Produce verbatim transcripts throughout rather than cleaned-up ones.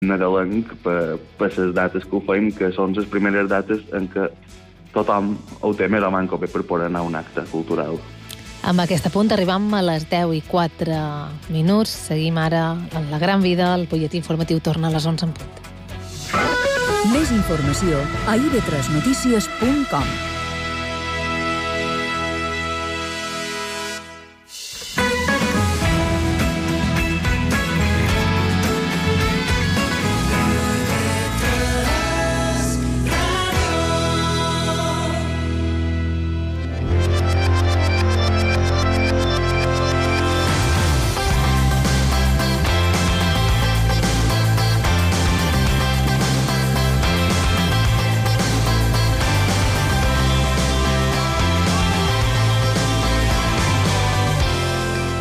nadalenc per, per les dates que ho fem, que són les primeres dates en què tothom ho té més o manco bé per poder anar a un acte cultural. Amb aquest punt arribam a les deu i quatre minuts. Seguim ara en La Gran Vida. El butlletí informatiu torna a les onze en punt. Més informació a i ve tres notícies punt com.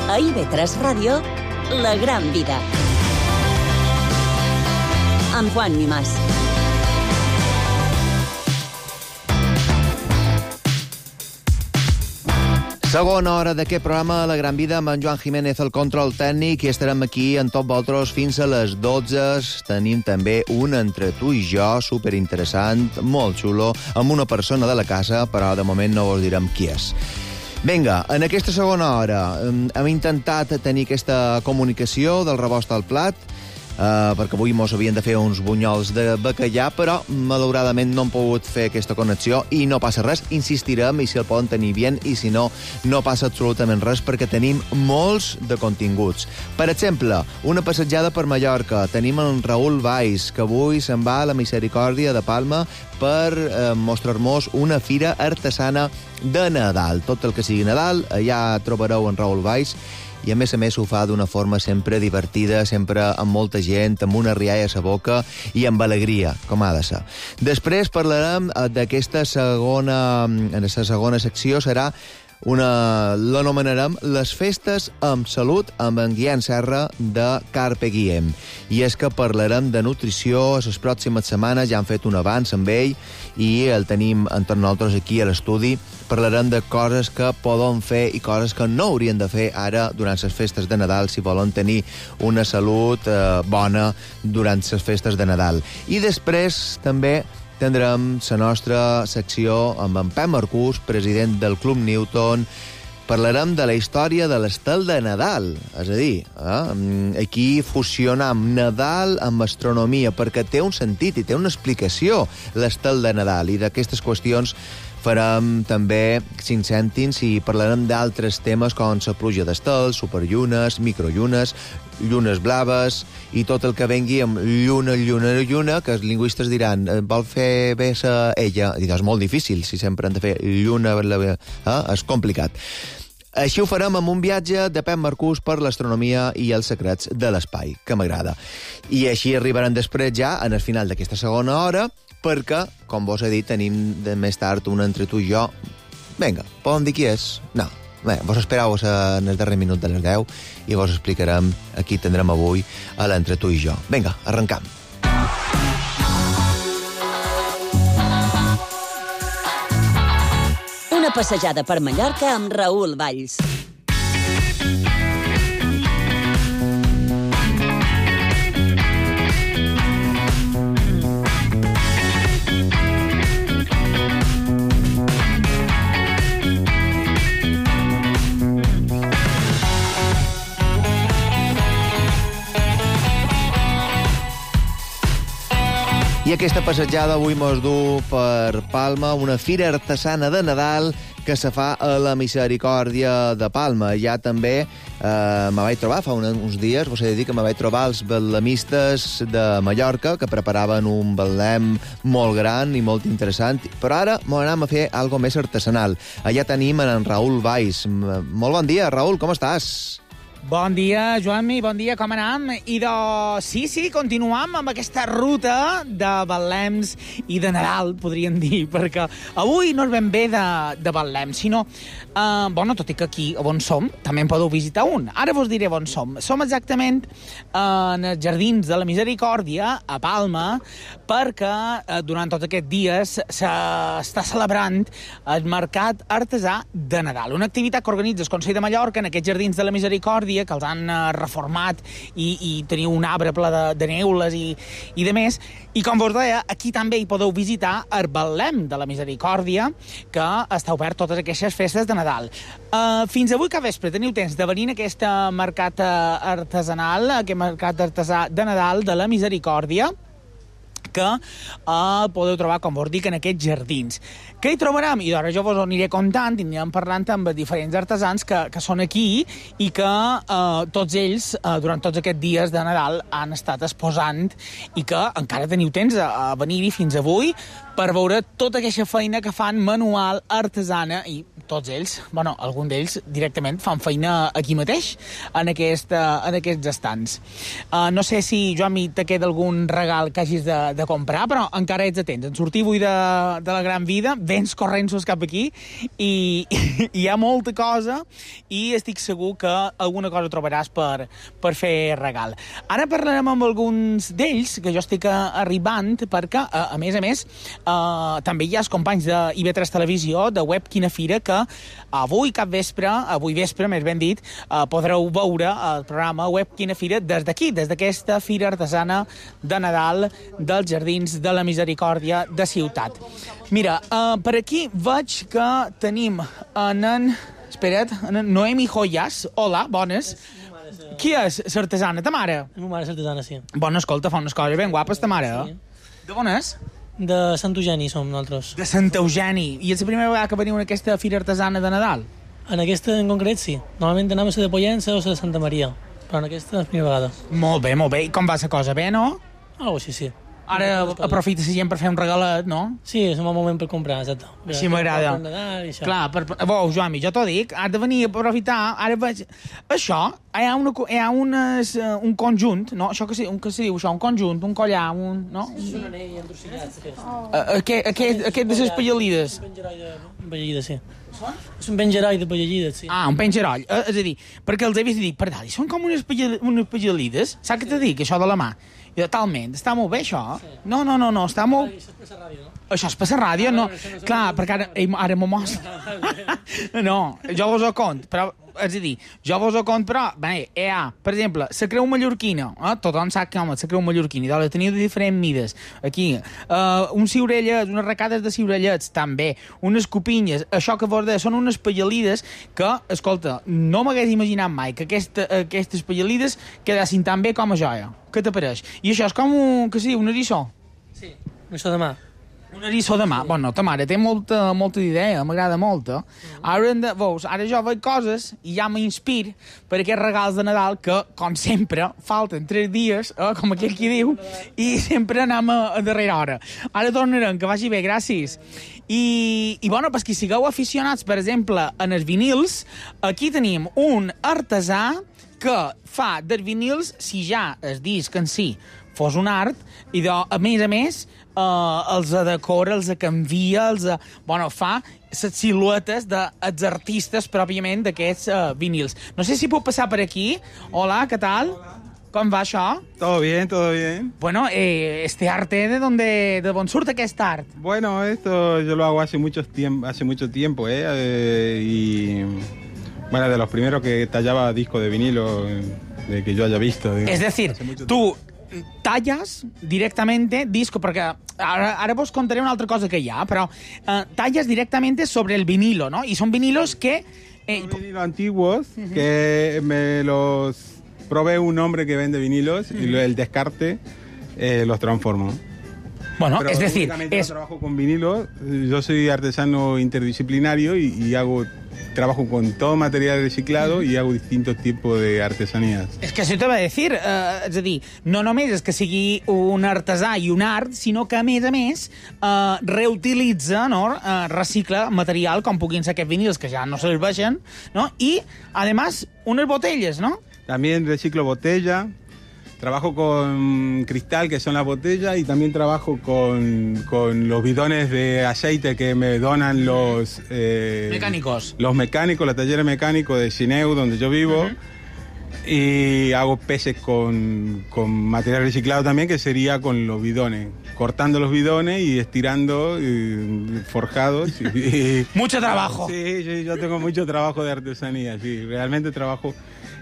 A i ve tres Ràdio, La Gran Vida. Amb Juan Mimàs. Segona hora d'aquest programa, La Gran Vida, amb en Joan Jiménez, el control tècnic, i estarem aquí en tot vosaltres fins a les dotze. Tenim també un Entre tu i jo superinteressant, molt xulo, amb una persona de la casa, però de moment no vos direm qui és. Vinga, en aquesta segona hora hem intentat tenir aquesta comunicació del rebost al plat, eh, perquè avui mos havien de fer uns bunyols de bacallà, però malauradament no hem pogut fer aquesta connexió i no passa res. Insistirem i si el poden tenir bé i si no, no passa absolutament res perquè tenim molts de continguts. Per exemple, una passejada per Mallorca. Tenim en Raül Valls, que avui se'n va a la Misericòrdia de Palma per eh, mostrar-nos una fira artesana de Nadal. Tot el que sigui Nadal, allà trobareu en Raül Valls, i a més a més ho fa d'una forma sempre divertida, sempre amb molta gent, amb una rialla a la boca i amb alegria, com ha de ser. Després parlarem d'aquesta segona, en la segona secció, serà una, l'anomenarem Les festes amb salut amb en Guillem Serra de Carpe Diem. I és que parlarem de nutrició a les pròximes setmanes, ja han fet un avanç amb ell i el tenim entre nosaltres aquí a l'estudi. Parlarem de coses que poden fer i coses que no haurien de fer ara durant les festes de Nadal si volen tenir una salut eh, bona durant les festes de Nadal. I després també tindrem la nostra secció amb en Pep Marcús, president del Club Newton. Parlarem de la història de l'estel de Nadal, és a dir, eh? aquí fusionem Nadal amb astronomia, perquè té un sentit i té una explicació l'estel de Nadal, i d'aquestes qüestions farem també cinc cèntims i parlarem d'altres temes com la pluja d'estels, superllunes, microllunes, llunes blaves i tot el que vengui amb lluna, lluna, lluna, que els lingüistes diran vol fer bé sa ella. I és molt difícil, si sempre han de fer lluna, eh? És complicat. Així ho farem amb un viatge de Pep Marcús per l'astronomia i els secrets de l'espai, que m'agrada. I així arribaran després ja, en el final d'aquesta segona hora, perquè, com vos he dit, tenim de més tard un Entre tu i jo. Vinga, poden dir qui és? No. Bé, vos esperau en el darrer minut de les deu i vos explicarem a qui tindrem avui a l'Entre tu i jo. Vinga, arrencam. Una passejada per Mallorca amb Raül Valls. I aquesta passejada avui mos du per Palma, una fira artesana de Nadal que se fa a la Misericòrdia de Palma. Ja també eh, me vaig trobar fa un, uns dies, vos he de dir que me vaig trobar els betlemistes de Mallorca, que preparaven un betlem molt gran i molt interessant, però ara m'ho anem a fer algo més artesanal. Allà tenim en Raül Valls. Molt bon dia, Raül, com estàs? Bon dia, Joan-mi, bon dia, com anem? I de... Sí, sí, continuam amb aquesta ruta de betlems i de Nadal, podríem dir, perquè avui no és ben bé de, de betlem, sinó... Eh, bueno, tot i que aquí, on som, també en podeu visitar un. Ara vos diré on som. Som exactament en els Jardins de la Misericòrdia, a Palma, perquè eh, durant tots aquests dies s'està celebrant el Mercat Artesà de Nadal, una activitat que organitza el Consell de Mallorca en aquests Jardins de la Misericòrdia Misericòrdia, que els han uh, reformat i, i teniu un arbre ple de, de neules i, i de més. I com vos deia, aquí també hi podeu visitar el Betlem de la Misericòrdia, que està obert totes aquestes festes de Nadal. Uh, fins avui cap vespre teniu temps de venir a aquest mercat artesanal, aquest mercat artesà de Nadal de la Misericòrdia, que uh, podeu trobar, com vos dic, en aquests jardins. Què hi trobarem? I ara jo vos ho aniré contant, i anirem parlant amb diferents artesans que, que són aquí i que uh, tots ells, uh, durant tots aquests dies de Nadal, han estat exposant i que encara teniu temps a, a venir-hi fins avui per veure tota aquesta feina que fan manual, artesana, i tots ells, bueno, algun d'ells directament fan feina aquí mateix, en, aquest, uh, en aquests estants. Uh, no sé si, Joan, te queda algun regal que hagis de, de comprar, però encara ets a temps. En sortir avui de, de la Gran Vida, vens corrents cap aquí, i, i hi ha molta cosa, i estic segur que alguna cosa trobaràs per, per fer regal. Ara parlarem amb alguns d'ells, que jo estic arribant, perquè, a, a més a més, Uh, també hi ha els companys de I V tres Televisió, de Web Quina Fira, que avui cap vespre, avui vespre, més ben dit, uh, podreu veure el programa Web Quina Fira des d'aquí, des d'aquesta Fira Artesana de Nadal dels Jardins de la Misericòrdia de Ciutat. Mira, uh, per aquí veig que tenim en en... Espera't, en Noemi Joyas. Hola, bones. Qui és l'artesana? Ta mare? La meva mare és artesana, sí. Bona, escolta, fa unes coses ben guapes, ta mare. Sí. De on és? De Sant Eugeni som nosaltres. De Sant Eugeni. I és la primera vegada que veniu en aquesta fira artesana de Nadal? En aquesta en concret, sí. Normalment anem a la de Pollença o a la de Santa Maria, però en aquesta és la primera vegada. Molt bé, molt bé. I com va la cosa? Bé, no? Algo així, sí. Ara aprofita la gent per fer un regalet, no? Sí, és un bon moment per comprar, exacte. Així m'agrada. Clar, per, vau, Joan, jo t'ho dic, has de venir a aprofitar. Ara veig... Això, hi ha, una, hi ha unes, uh, un conjunt, no? Això que se, un, que se diu, això, un conjunt, un collar, un... No? Sí, un anell entorcillat, aquest. Uh, aquest, aquest, aquest de les pallalides. Un pengeroi de pallalides, sí. És un pengeroi de pallalides, sí. Ah, un pengeroi. Uh, és a dir, perquè els he vist i dic, per dalt, són com unes, pallal, unes pallalides. Saps què t'he dit, això de la mà? I talment, està molt bé, això? Sí. No, no, no, no, està molt... Això és per la ràdio, no? Això és per la ràdio, no? no Clar, perquè ara, ara m'ho mostra. No, jo vos ho cont, però, és a dir, jo vos ho cont, però, bé, hi ha, per exemple, la creu mallorquina, eh? Tothom sap que, home, la creu mallorquina, la teniu de diferents mides, aquí, uh, uns ciurellets, unes recades de ciurellets, també, unes copinyes, això que vos deia, són unes pallalides que, escolta, no m'hagués imaginat mai que aquesta, aquestes pallalides quedassin tan bé com a joia. Què t'apareix? I això és com un, que sí, un eriçó. Sí, un eriçó de mà. Un eriçó de mà. Bueno, ta mare té molta, molta idea, m'agrada molt. Eh? Mm. Ara, de, veus, ara jo veig coses i ja m'inspir per aquests regals de Nadal que, com sempre, falten tres dies, eh, com aquell qui diu, i sempre anem a, a darrera hora. Ara tornarem, que vagi bé, gràcies. I, i bueno, pues, que sigueu aficionats, per exemple, en els vinils, aquí tenim un artesà que fa dels vinils, si ja el disc en si fos un art, i de, a més a més eh, els decora, els canvia, els, bueno, fa les siluetes dels artistes pròpiament d'aquests eh, vinils. No sé si puc passar per aquí. Hola, què tal? Hola. Com va això? Todo bien, todo bien. Bueno, eh, este arte, ¿de dónde, de dónde surte aquest art? Bueno, esto yo lo hago hace mucho tiempo, hace mucho tiempo, ¿eh? eh y... Bueno, de los primeros que tallaba disco de vinilo de que yo haya visto. Digamos, es decir, tú talles directamente disco, perquè ara, ara vos contaré una altra cosa que hi ha, però uh, talles directamente sobre el vinilo, ¿no? Y son vinilos que... Eh, son vinilos antiguos, uh-huh. que me los probé un hombre que vende vinilos, uh-huh. y el descarte eh, los transformo. Bueno, pero es decir... Es... No trabajo con vinilos, yo soy artesano interdisciplinario y, y hago... Trabajo con todo material reciclado i hago distintos tipos de artesanías. És que això t'ho va dir, eh, és a dir, no només és que sigui un artesà i un art, sinó que, a més a més, eh, reutilitza, no? eh, recicla material, com puguin ser aquests vinils, que ja no serveixen, no? I, además, unes botelles, ¿no? También reciclo botella. Trabajo con cristal, que son las botellas, y también trabajo con, con los bidones de aceite que me donan los... Eh, mecánicos. Los mecánicos, los talleres mecánicos de Cineu, donde yo vivo. Uh-huh. Y hago peces con, con material reciclado también, que sería con los bidones. Cortando los bidones y estirando, y forjados. Y, y, mucho trabajo. Sí, sí, yo tengo mucho trabajo de artesanía, sí. Realmente trabajo...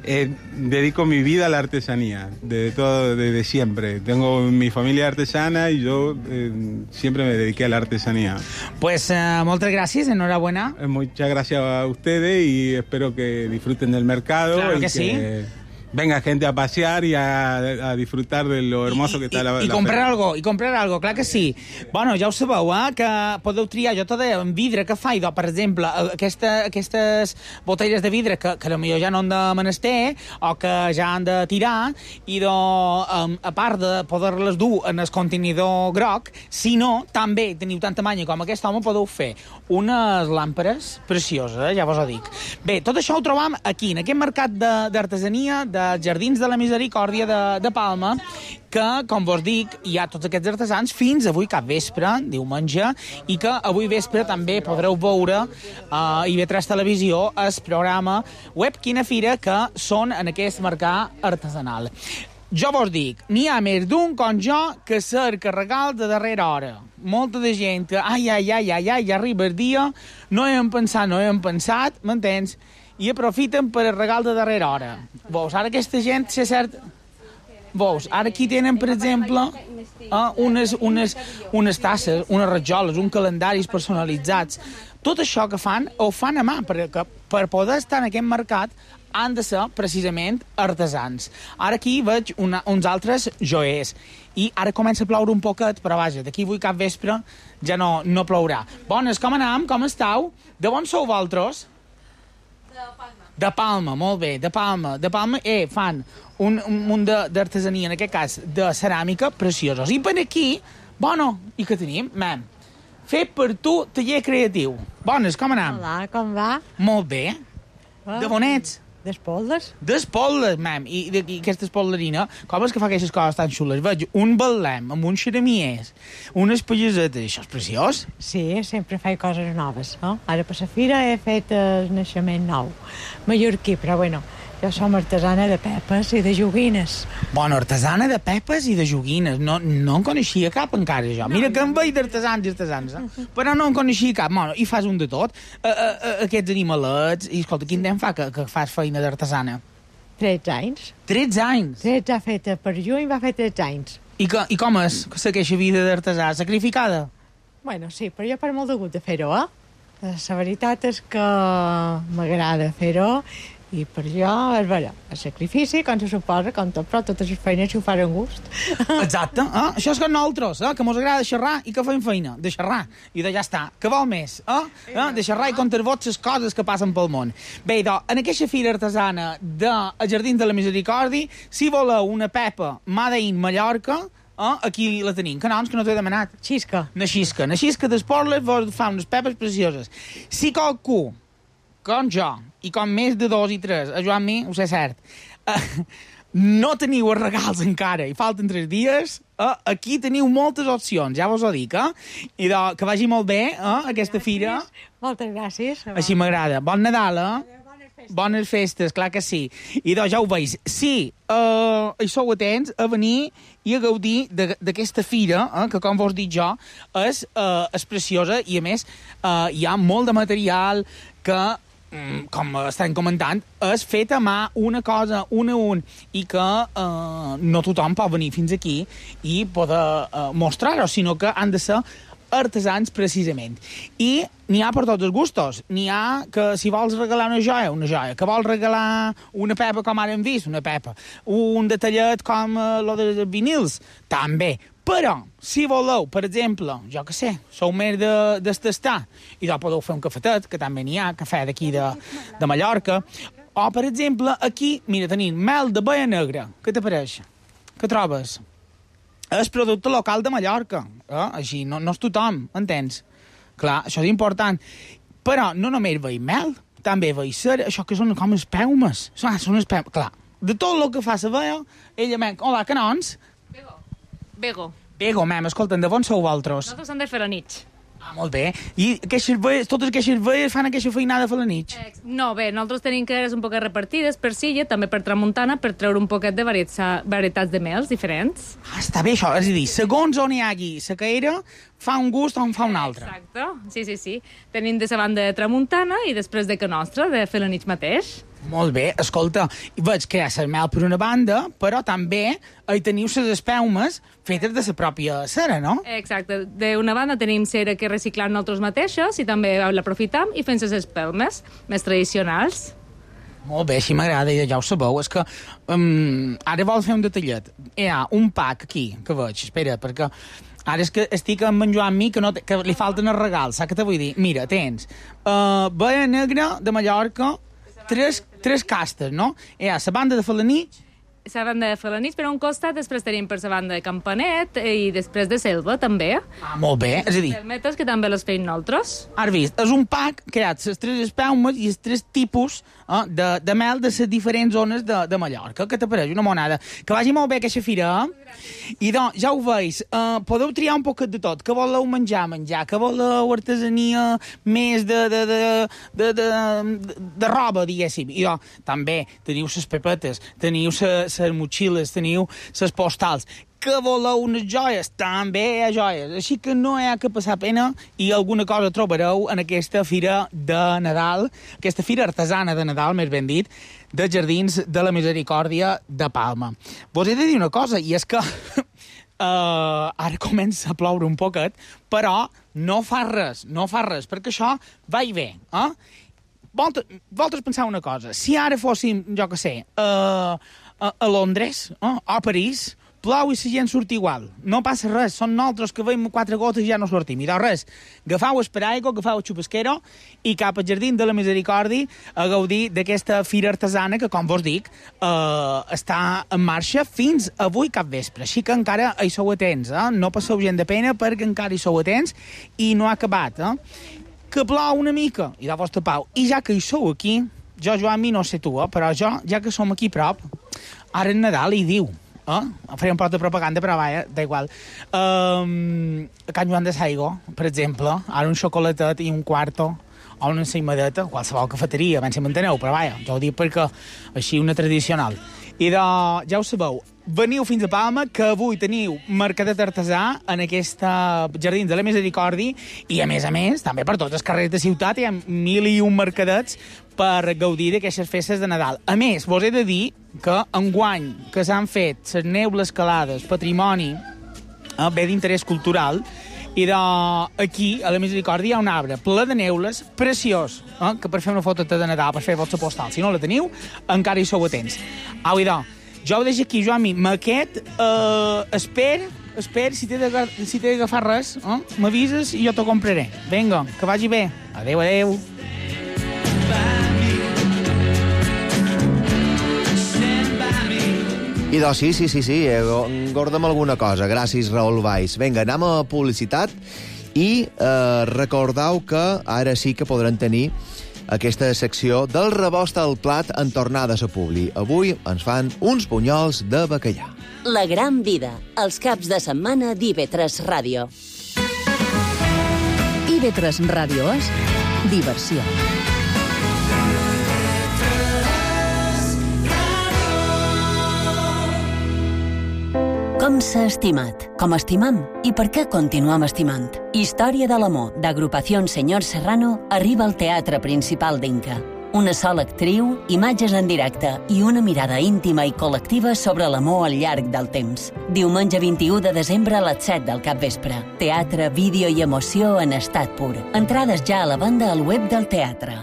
eh, dedico mi vida a la artesanía, de todo, desde siempre. Tengo mi familia artesana y yo eh, siempre me dediqué a la artesanía. Pues uh, moltes gràcies, enhorabuena. Eh, Muchas gracias a ustedes y espero que disfruten del mercado. Claro y que sí. Venga gente a pasear y a, a disfrutar de lo hermoso I, que está i, la, i la comprar feria. algo, i comprar algo, clar que sí. Bueno, ja ho sabeu, eh, que podeu triar, jo t'ho deia, en vidre que fa, idò, per exemple, aquesta, aquestes botelles de vidre que, que potser ja no han de menester o que ja han de tirar, i do, um, a part de poder-les dur en el contenidor groc, si no, també teniu tanta manya com aquest home, podeu fer unes làmperes precioses, eh, ja vos ho dic. Bé, tot això ho trobam aquí, en aquest mercat d'artesania, de dels Jardins de la Misericòrdia de, de Palma, que, com vos dic, hi ha tots aquests artesans fins avui cap vespre, diumenge, i que avui vespre també podreu veure a I V tres Televisió el programa Web Quina Fira, que són en aquest mercat artesanal. Jo vos dic, n'hi ha més d'un com jo que cerca regal de darrera hora. Molta de gent que, ai, ai, ai, ai, ai, ja arriba el dia, no hem pensat, no hem pensat, m'entens? I aprofiten per el regal de darrera hora. Veus, ara aquesta gent, si és cert... Veus, ara aquí tenen, per exemple, eh, unes, unes, unes tasses, unes rajoles, uns calendaris personalitzats. Tot això que fan, ho fan a mà, perquè per poder estar en aquest mercat han de ser, precisament, artesans. Ara aquí veig una, uns altres joiers. I ara comença a ploure un poquet, però vaja, d'aquí avui cap vespre ja no, no plourà. Bones, com anem? Com estàu? De on sou vosaltres? De Palma. De Palma, molt bé, de Palma. De Palma, eh, fan un, un munt d'artesania, en aquest cas, de ceràmica, preciosos. I per aquí, bueno, i què tenim? Mem, fet per tu, taller creatiu. Bones, com anem? Hola, com va? Molt bé. Oh. De on ets? D'Espoldes. D'Espoldes, mem. I, i, i aquesta espolderina, com és que fa aquestes coses tan xules? Veig un betlem amb uns xeramiers, unes pallasetes, això és preciós. Sí, sempre faig coses noves. No? Ara per la fira he fet el naixement nou, mallorquí, però bueno, jo som artesana de pepes i de joguines. Bueno, artesana de pepes i de joguines. No, no en coneixia cap encara, jo. Mira que em veig d'artesans i artesans, eh? Però no en coneixia cap. Bueno, i fas un de tot. Uh, uh, uh, aquests animalets... I, escolta, quin temps fa que, que fas feina d'artesana? tretze anys. tretze anys? tretze ha fet per juny, va fer tretze anys. I, que, i com és que aquesta vida d'artesà? Sacrificada? Bueno, sí, però jo per molt de gust de fer-ho, eh? La veritat és que m'agrada fer-ho i per jo és vera, el sacrifici, com se suposa, com tot, però totes les feines s'ho fan amb gust. Exacte, eh? Això és que nosaltres, eh? Que mos agrada xerrar i que fem feina, de xerrar, i de ja està. Que vol més, eh? eh? De xerrar i contar vos les coses que passen pel món. Bé, doncs, en aquesta fira artesana del Jardins de la Misericòrdia, si voleu una pepa Made in Mallorca, eh? Aquí la tenim. Que noms que no t'he demanat? Xisca. Na xisca. Na xisca d'Esporles vos fa unes pepes precioses. Si qualcú, com jo, i com més de dos i tres, a Joan mi, ho sé cert, uh, no teniu els regals encara i falten tres dies, uh, aquí teniu moltes opcions, ja vos ho dic, eh? I de, que vagi molt bé, eh, aquesta fira. Moltes gràcies. Així m'agrada. Bon Nadal, eh? Bones festes, clar que sí. I doncs ja ho veig. Sí, uh, hi sou atents a venir i a gaudir d'aquesta fira, eh, que com vos dic jo, és, uh, és preciosa i a més uh, hi ha molt de material que, com estem comentant, és fet a mà, una cosa, un a un, i que eh, no tothom pot venir fins aquí i poder eh, mostrar-ho, sinó que han de ser artesans, precisament. I n'hi ha per tots els gustos. N'hi ha que, si vols regalar una joia, una joia. Que vols regalar una pepa, com ara hem vist, una pepa. Un detallet com eh, lo de vinils, també. Però, si voleu, per exemple, jo que sé, sou més de, d'estastar, i doncs podeu fer un cafetet, que també n'hi ha, cafè d'aquí de, de Mallorca, o, per exemple, aquí, mira, tenim mel de baia negra. Què t'apareix? Què trobes? És producte local de Mallorca. Eh? Així, no, no és tothom, entens? Clar, això és important. Però no només veig mel, també veig cera, això que són com espelmes. Ah, són espelmes, clar. De tot el que fa la veia, ella m'ha... Hola, canons? Bego. Bego, mem, escolta'm, de on sou vosaltres? Nosaltres som de Felanitx. Ah, molt bé. I aquestes veies, totes aquestes veies fan aquesta feinada a Felanitx? Eh, no, bé, nosaltres tenim caderes un poquet repartides per Silla, també per Tramuntana, per treure un poquet de varietats, varietats de mels diferents. Ah, està bé això, és a dir, segons on hi hagi la caera, fa un gust o en fa un altre. Exacte, sí, sí, sí. Tenim de la banda de Tramuntana i després de que nostra, de Felanitx mateix. Molt bé, escolta, veig que hi ha la mel per una banda, però també hi teniu les espelmes fetes de la pròpia cera, no? Exacte. D'una banda tenim cera que reciclem nosaltres mateixos i també l'aprofitam i fem les espelmes més tradicionals. Molt bé, així m'agrada, ja ho sabeu. És que um, ara vol fer un detallet. Hi ha un pack aquí, que veig, espera, perquè ara és que estic amb en Joan mi, que, no, que li falten els regals, saps què te vull dir? Mira, tens uh, Baia Negra de Mallorca, tres, tres castes, no? Hi ha la banda de Felanitx, la banda de Felanitx per un costat, després tenim per la banda de Campanet i després de Selva, també. Ah, molt bé, és a dir... Selmetes, que també les feim nosaltres. Has vist, és un pack que hi ha les tres espelmes i els tres tipus eh, de, de mel de les diferents zones de, de Mallorca. Què t'apareix? Una monada. Que vagi molt bé aquesta fira, eh? I doncs, ja ho veus, eh, podeu triar un poquet de tot. Que voleu menjar, menjar. Que voleu artesania més de, de, de, de, de, de, de roba, diguéssim. I doncs, també teniu les pepetes, teniu les les motxilles, teniu les postals. Que voleu unes joies? També hi ha joies. Així que no hi ha que passar pena i alguna cosa trobareu en aquesta fira de Nadal, aquesta fira artesana de Nadal, més ben dit, de Jardins de la Misericòrdia de Palma. Vos he de dir una cosa, i és que uh, ara comença a ploure un poquet, però no fa res, no fa res, perquè això va i ve, eh? Vosaltres pensar una cosa, si ara fóssim, jo què sé, uh, a, a Londres, eh, o a París, plou i la gent surt igual. No passa res, són nosaltres que veiem quatre gotes i ja no sortim. I doncs res, agafau el paraigua, agafau el xupesquero i cap al Jardí de la Misericòrdia a gaudir d'aquesta fira artesana que, com vos dic, eh, està en marxa fins avui cap vespre. Així que encara hi sou atents, eh? No passeu gent de pena perquè encara hi sou atents i no ha acabat, eh? Que plou una mica i de vostre pau. I ja que hi sou aquí, jo, Joan, mi no sé tu, eh? Però jo, ja que som aquí prop, ara en Nadal hi diu, eh? Faré un pot de propaganda, però vaja, da igual. Um, a Can Joan de Saigo, per exemple, ara un xocolatet i un quarto, o una ensaïmadeta, qualsevol cafeteria, ben si m'enteneu, però vaja, jo ho dic perquè així una tradicional. I de, ja ho sabeu, veniu fins a Palma, que avui teniu mercadet artesà en aquesta Jardins de la Misericòrdia i, a més a més, també per tots els carrers de ciutat hi ha mil i un mercadets per gaudir d'aquestes festes de Nadal. A més, vos he de dir que enguany que s'han fet les neules calades, patrimoni eh, bé d'interès cultural, i de, aquí, a la Misericòrdia, hi ha un arbre ple de neules, preciós, eh, que per fer una foto de Nadal, per fer vostra postal, si no la teniu, encara hi sou atents. Au, idò, jo ho deixo aquí, Joan, maquet, eh, esper, esper, si t'he si d'agafar res, eh, m'avises i jo t'ho compraré. Vinga, que vagi bé. Adéu, adéu. I doncs sí, sí, sí, sí, engorda'm alguna cosa. Gràcies, Raül Valls. Vinga, anem a publicitat i eh, recordeu que ara sí que podran tenir aquesta secció del rebost al plat en tornada a la Publi. Avui ens fan uns bunyols de bacallà. La gran vida, els caps de setmana d'I V tres Ràdio. I V tres Ràdio és diversió. Com s'ha estimat, com estimam i per què continuam estimant. Història de l'amor, d'agrupació Senyor Serrano, arriba al Teatre Principal d'Inca. Una sola actriu, imatges en directe i una mirada íntima i col·lectiva sobre l'amor al llarg del temps. Diumenge vint-i-u de desembre a les set del capvespre. Teatre, vídeo i emoció en estat pur. Entrades ja a la venda al web del teatre.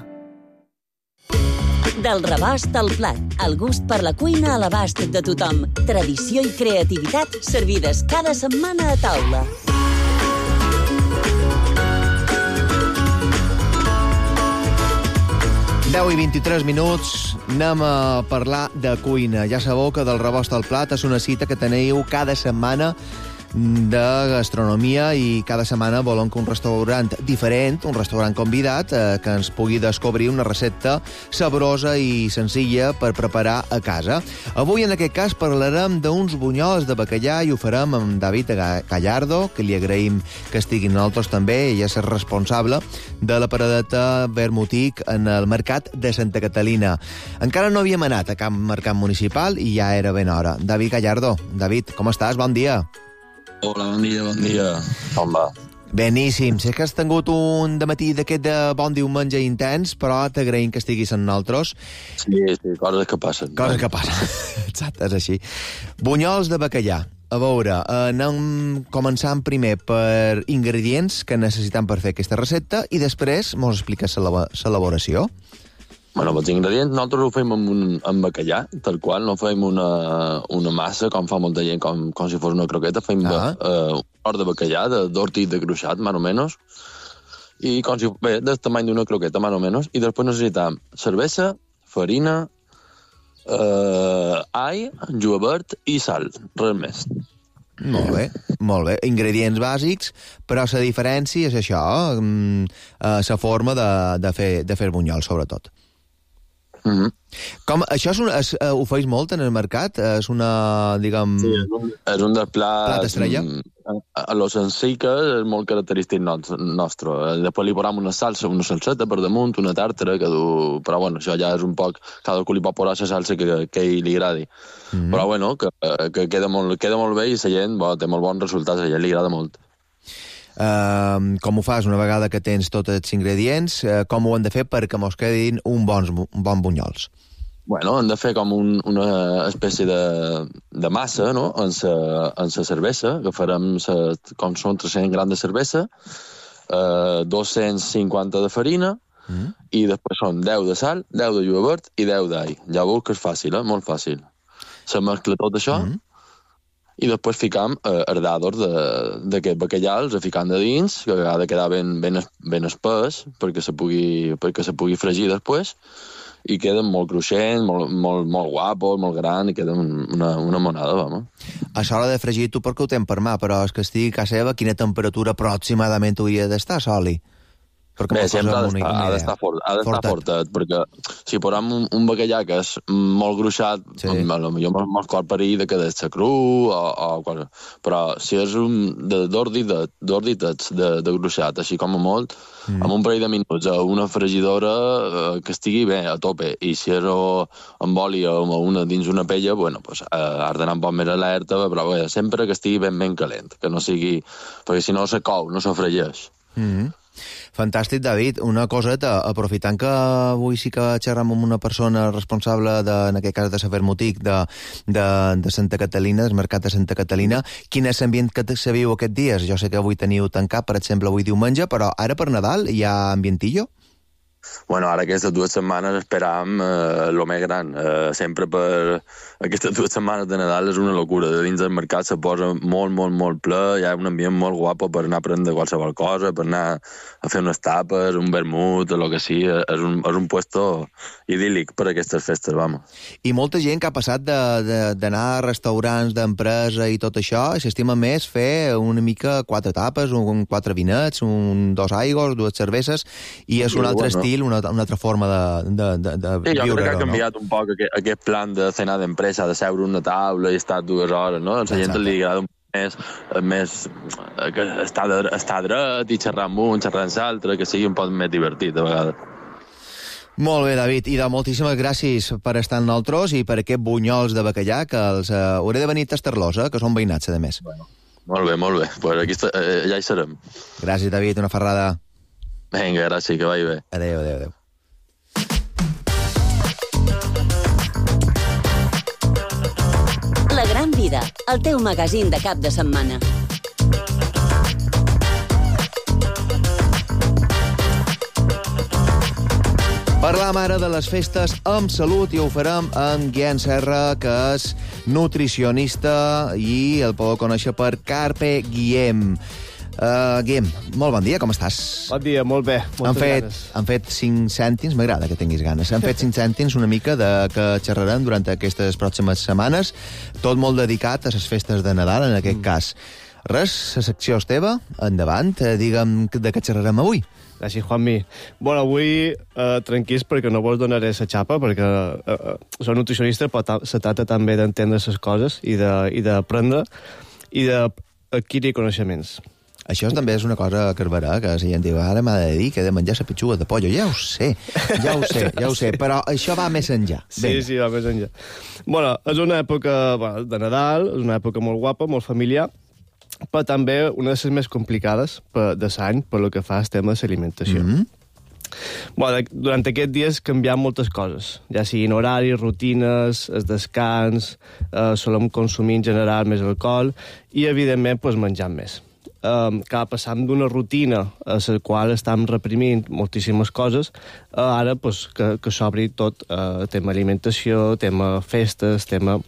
Del rebost al plat, el gust per la cuina a l'abast de tothom. Tradició i creativitat servides cada setmana a taula. deu i vint-i-tres minuts, anem a parlar de cuina. Ja sabeu que del rebost al plat és una cita que teniu cada setmana de gastronomia i cada setmana volem que un restaurant diferent, un restaurant convidat, eh, que ens pugui descobrir una recepta saborosa i senzilla per preparar a casa. Avui, en aquest cas, parlarem d'uns bunyols de bacallà i ho farem amb David Gallardo, que li agraïm que estigui amb nosaltres també. Ell és el responsable de la paradeta Vermutic en el mercat de Santa Catalina. Encara no havíem anat a cap mercat municipal i ja era ben hora. David Gallardo, David, com estàs? Bon dia. Hola, bon dia, bon dia. Com va? Beníssim. Sé que has tingut un dematí d'aquest de bon diumenge intens, però t'agraïm que estiguis amb nosaltres. Sí, sí, coses que passen. Coses que passen. Exacte, és així. Bunyols de bacallà. A veure, anem començant primer per ingredients que necessitem per fer aquesta recepta i després mos expliques l'elaboració. Bueno, els ingredients nosaltres ho fem amb, un, amb bacallà, tal qual, no fem una, una massa, com fa molta gent, com, com si fos una croqueta, fem ah. uh, un hort de bacallà, de d'hortit de gruixat, més o menys, i com si, bé, del tamany d'una croqueta, més o menys, i després necessitem cervesa, farina, uh, all, julivert i sal, res més. Molt bé, molt bé. Ingredients bàsics, però la diferència és això, la forma de, de, fer, de fer bunyol, sobretot. Mm-hmm. Com, això és un, es, uh, ho feis molt en el mercat? És una, diguem... Sí, és un, és un dels plats... Plat estrella? A, a lo senzill que és molt característic nostre. Després li posam una salsa, una salseta per damunt, una tàrtara, que du... però bueno, això ja és un poc... Cada cul li pot posar la salsa que, que li agradi. Mm-hmm. Però bueno, que, que queda, molt, queda molt bé i la gent bo, té molt bons resultats, a la gent li agrada molt. Uh, com ho fas una vegada que tens tots els ingredients? Uh, com ho han de fer perquè mos quedin un bons, un bon bunyols? Bueno, han de fer com un, una espècie de, de massa, no?, en la en sa cervesa, que farem sa, com són tres-cents grams de cervesa, uh, dos-cents cinquanta de farina, mm. i després són deu de sal, deu de julivert i deu d'all. Ja veus que és fàcil, eh? Molt fàcil. Se mescla tot això, mm. i després ficam eh, els dadors d'aquest bacallà, els ficam de dins, que ha de quedar ben, ben, ben espès perquè se pugui, perquè se pugui fregir després, i queden molt cruixents, molt, molt, molt guapos, molt gran, i queda una, una monada, vamos. A l'hora de fregir, tu perquè ho tens per mà, però és que estigui a casa seva, quina temperatura aproximadament hauria d'estar, Soli? Bé, sempre ha d'estar fort, ha d'estar fortet, perquè si posem un, un bacallà que és molt gruixat, sí. potser me'ls cor perill de que de ser cru, o, o qual... però si és un d'orditets de, de gruixat, així com a molt, mm. amb un parell de minuts a una fregidora eh, que estigui bé, a tope, i si és amb oli o una, dins una pella, bueno, pues, eh, has d'anar un poc més alerta, però bé, sempre que estigui ben ben calent, que no sigui... perquè si no se cou, no se fregeix. Mm-hmm. Fantàstic, David. Una coseta, aprofitant que avui sí que xerram amb una persona responsable, de, en aquest cas de Saber Motic, de, de, de Santa Catalina, del mercat de Santa Catalina, quin és l'ambient que se viu aquests dies? Jo sé que avui teniu tancat, per exemple, avui diumenge, però ara per Nadal hi ha ambientillo? Bueno, ara aquestes dues setmanes esperam eh, lo més gran. Eh, sempre per aquestes dues setmanes de Nadal és una locura. De dins del mercat se posa molt, molt, molt ple. Hi ha un ambient molt guapo per anar a prendre qualsevol cosa, per anar a fer unes tapes, un vermut, o el que sigui. És un, és un puesto idíl·lic per aquestes festes, vamos. I molta gent que ha passat d'anar a restaurants d'empresa i tot això, s'estima més fer una mica quatre tapes, un, quatre vinets, un, dos aigües, dues cerveses, i és un altre estil, Una, una altra forma de, de, de, de sí, jo viure, crec que ha canviat no? un poc aquest, aquest plan de cenar d'empresa, de seure una taula i estar dues hores, no? A la gent li agrada un més, més que estar, de, estar dret i xerrar amb un, xerrar amb l'altre, que sigui un poc més divertit, a vegades. Molt bé, David, i de moltíssimes gràcies per estar amb nosaltres i per aquest bunyols de bacallà, que els uh, hauré de venir a tastar-los, eh, que són veïnats, a més. Bueno, molt bé, molt bé. Pues aquí està, eh, ja hi serem. Gràcies, David, una ferrada. Vinga, gràcies, que vagi bé. Adéu, adéu, adéu. La Gran Vida, el teu magazín de cap de setmana. Parlam ara de les festes amb salut i ho farem amb Guillem Serra, que és nutricionista i el podeu conèixer per Carpe Guillem. Uh, Guillem, molt bon dia, com estàs? Bon dia, molt bé, moltes han fet, ganes. Han fet cinc cèntims, m'agrada que tinguis ganes, han fet cinc cèntims una mica de que xerrarem durant aquestes pròximes setmanes, tot molt dedicat a les festes de Nadal, en aquest mm. cas. Res, la secció és teva, endavant, digue'm de què xerrarem avui. Gràcies, Juanmi. Bueno, avui eh, tranquils perquè no vos donaré la xapa, perquè eh, soc nutricionista, però se tracta també d'entendre les coses i d'aprendre i d'adquirir coneixements. Això també és una cosa que es verà, que la gent diu, ara m'ha de dir que he de menjar la petxuga de pollo. Ja ho sé, ja ho sé, ja ho sé, però això va més enllà. Sí, ben. sí, va més enllà. Bueno, és una època bueno, de Nadal, és una època molt guapa, molt familiar, però també una de les més complicades per, de l'any per lo que fa el tema de l'alimentació. Mm-hmm. Bueno, durant aquests dies canviant moltes coses, ja siguin horaris, rutines, el descans, eh, solem consumir en general més alcohol i, evidentment, pues, menjant més. Eh, que passam d'una rutina a la qual estem reprimint moltíssimes coses, eh, ara pues, que, que s'obri tot, eh, tema alimentació, tema festes, tema...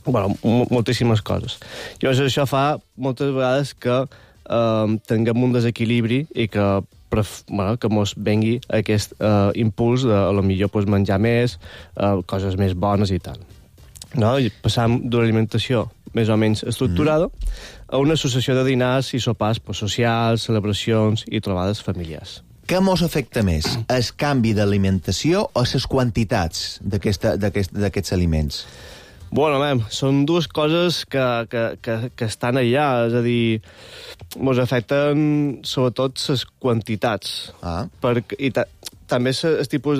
Bueno, moltíssimes coses. Llavors això fa moltes vegades que eh, tinguem un desequilibri i que bueno, que mos vengui aquest uh, impuls de, a lo millor, pues, menjar més, uh, coses més bones i tal. No? I passam d'una alimentació més o menys estructurada mm. a una associació de dinars i sopars pues, socials, celebracions i trobades familiars. Què mos afecta més? El canvi d'alimentació o les quantitats d'aquests aliments? Bueno, mem, són dues coses que, que, que, que estan allà, és a dir, ens afecten sobretot les quantitats. Ah. Perquè, I ta, també el tipus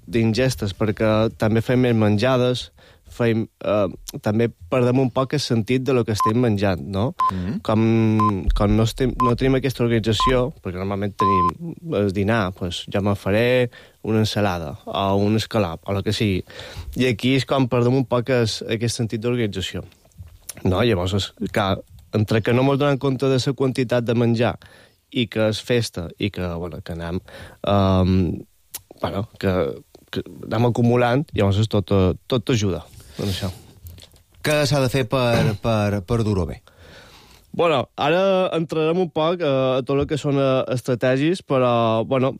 d'ingestes, perquè també fem més menjades, fem, eh, també perdem un poc el sentit de lo que estem menjant, no? Mm-hmm. Com, com no, estem, no tenim aquesta organització, perquè normalment tenim el dinar, pues, jo me faré una ensalada o un escalap, o el que sigui. I aquí és com perdem un poc es, aquest sentit d'organització. No? Llavors, que, entre que no ens donem compte de la quantitat de menjar i que és festa i que, bueno, que anem, um, bueno, que, que anem acumulant, llavors tot, tot ajuda. En això. Què s'ha de fer per, per, per dur-ho bé? Bueno, ara entrarem un poc a, a tot el que són estratègies, però, bueno,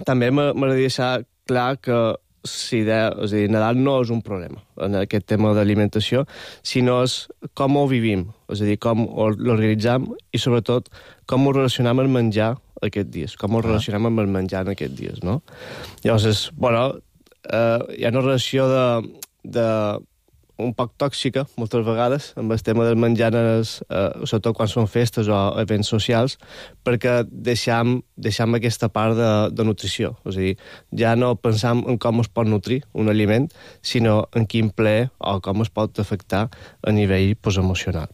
també m'agradaria deixar clar que si de, és a dir, Nadal no és un problema en aquest tema d'alimentació, sinó és com ho vivim, és a dir, com l'organitzam i, sobretot, com ho relacionam amb el menjar aquests dies, com ho relacionam amb el menjar en aquests dies, no? Llavors, és, bueno, eh, hi ha una relació de... de un poc tòxica, moltes vegades, amb el tema del menjar, eh, sobretot quan són festes o events socials, perquè deixam, deixam aquesta part de, de nutrició. És a dir, ja no pensam en com es pot nutrir un aliment, sinó en quin ple o com es pot afectar a nivell pues, emocional.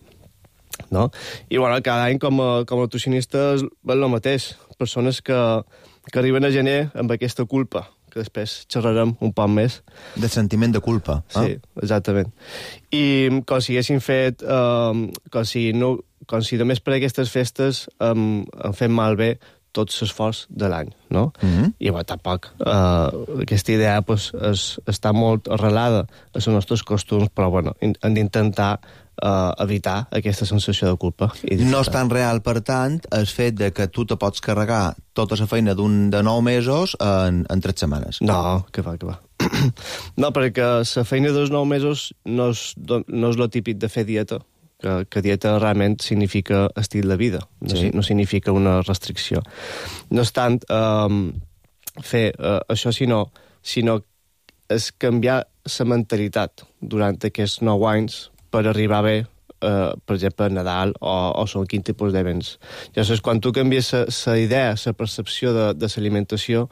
No? I bueno, cada any com a, com a nutricionista és el mateix. Persones que, que arriben a gener amb aquesta culpa, que després xerrarem un poc més. De sentiment de culpa. Eh? Sí, exactament. I com si haguessin fet... Um, com, si no, com si només per aquestes festes um, han fet malbé tot l'esforç de l'any, no? Mm-hmm. I, bueno, tampoc uh, aquesta idea pues, és, està molt arrelada a els nostres costums, però, bueno, hem d'intentar Uh, evitar aquesta sensació de culpa. No és tan real, per tant, el fet de que tu te pots carregar tota la feina d'un de nou mesos en, en tres setmanes. No, que va, que va. No, perquè la feina dels nou mesos no és, no és lo típic de fer dieta, que, que dieta realment significa estil de vida, no, sí. no significa una restricció. No és tant um, fer uh, això, sinó, sinó és canviar la mentalitat durant aquests nou anys per arribar bé, eh, per exemple, a Nadal o, o són quin tipus d'events. Llavors, quan tu canvies la idea, la percepció de, de l'alimentació,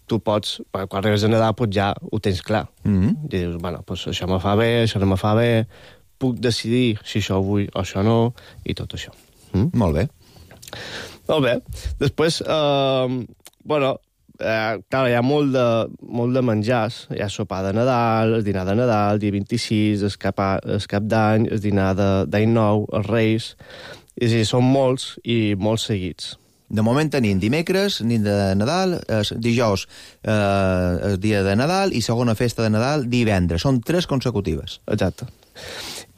tu pots, quan arribes a Nadal, pues ja ho tens clar. Mm-hmm. I dius, bueno, pues això me fa bé, això no me fa bé, puc decidir si això vull o això no, i tot això. Mm? Molt bé. Molt bé. Després, eh, bueno, Eh, clar, hi ha molt de, molt de menjars. Hi ha sopar de Nadal, el dinar de Nadal, el dia vint-i-sis, el cap, el cap d'any, el dinar d'any nou, els Reis. És a dir, són molts i molt seguits. De moment tenim dimecres, nit de Nadal, eh, dijous, eh, el dia de Nadal, i segona festa de Nadal, divendres. Són tres consecutives. Exacte.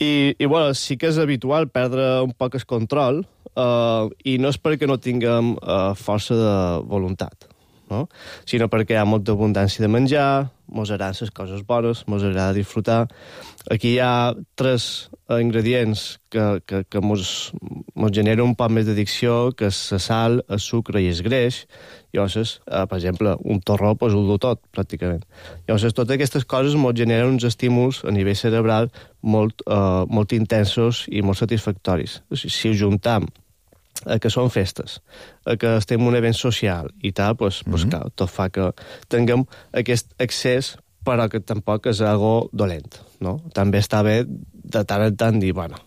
I, i bueno, sí que és habitual perdre un poc el control, eh, i no és perquè no tinguem eh, força de voluntat, no? Sinó perquè hi ha molta abundància de menjar, mos agraden les coses bones, mos agrada disfrutar. Aquí hi ha tres ingredients que, que, que mos, mos generen un poc més d'addicció, que és la sal, el sucre i el greix. Llavors, eh, per exemple, un torró pues, ho du tot, pràcticament. Llavors, totes aquestes coses mos generen uns estímuls a nivell cerebral molt, eh, molt intensos i molt satisfactoris. Si ho juntam a que són festes, a que estem en un event social i tal, pues, pues, mm-hmm. clar, tot fa que tinguem aquest accés, però que tampoc és algo dolent, no? També està bé de tant en tant dir, bueno,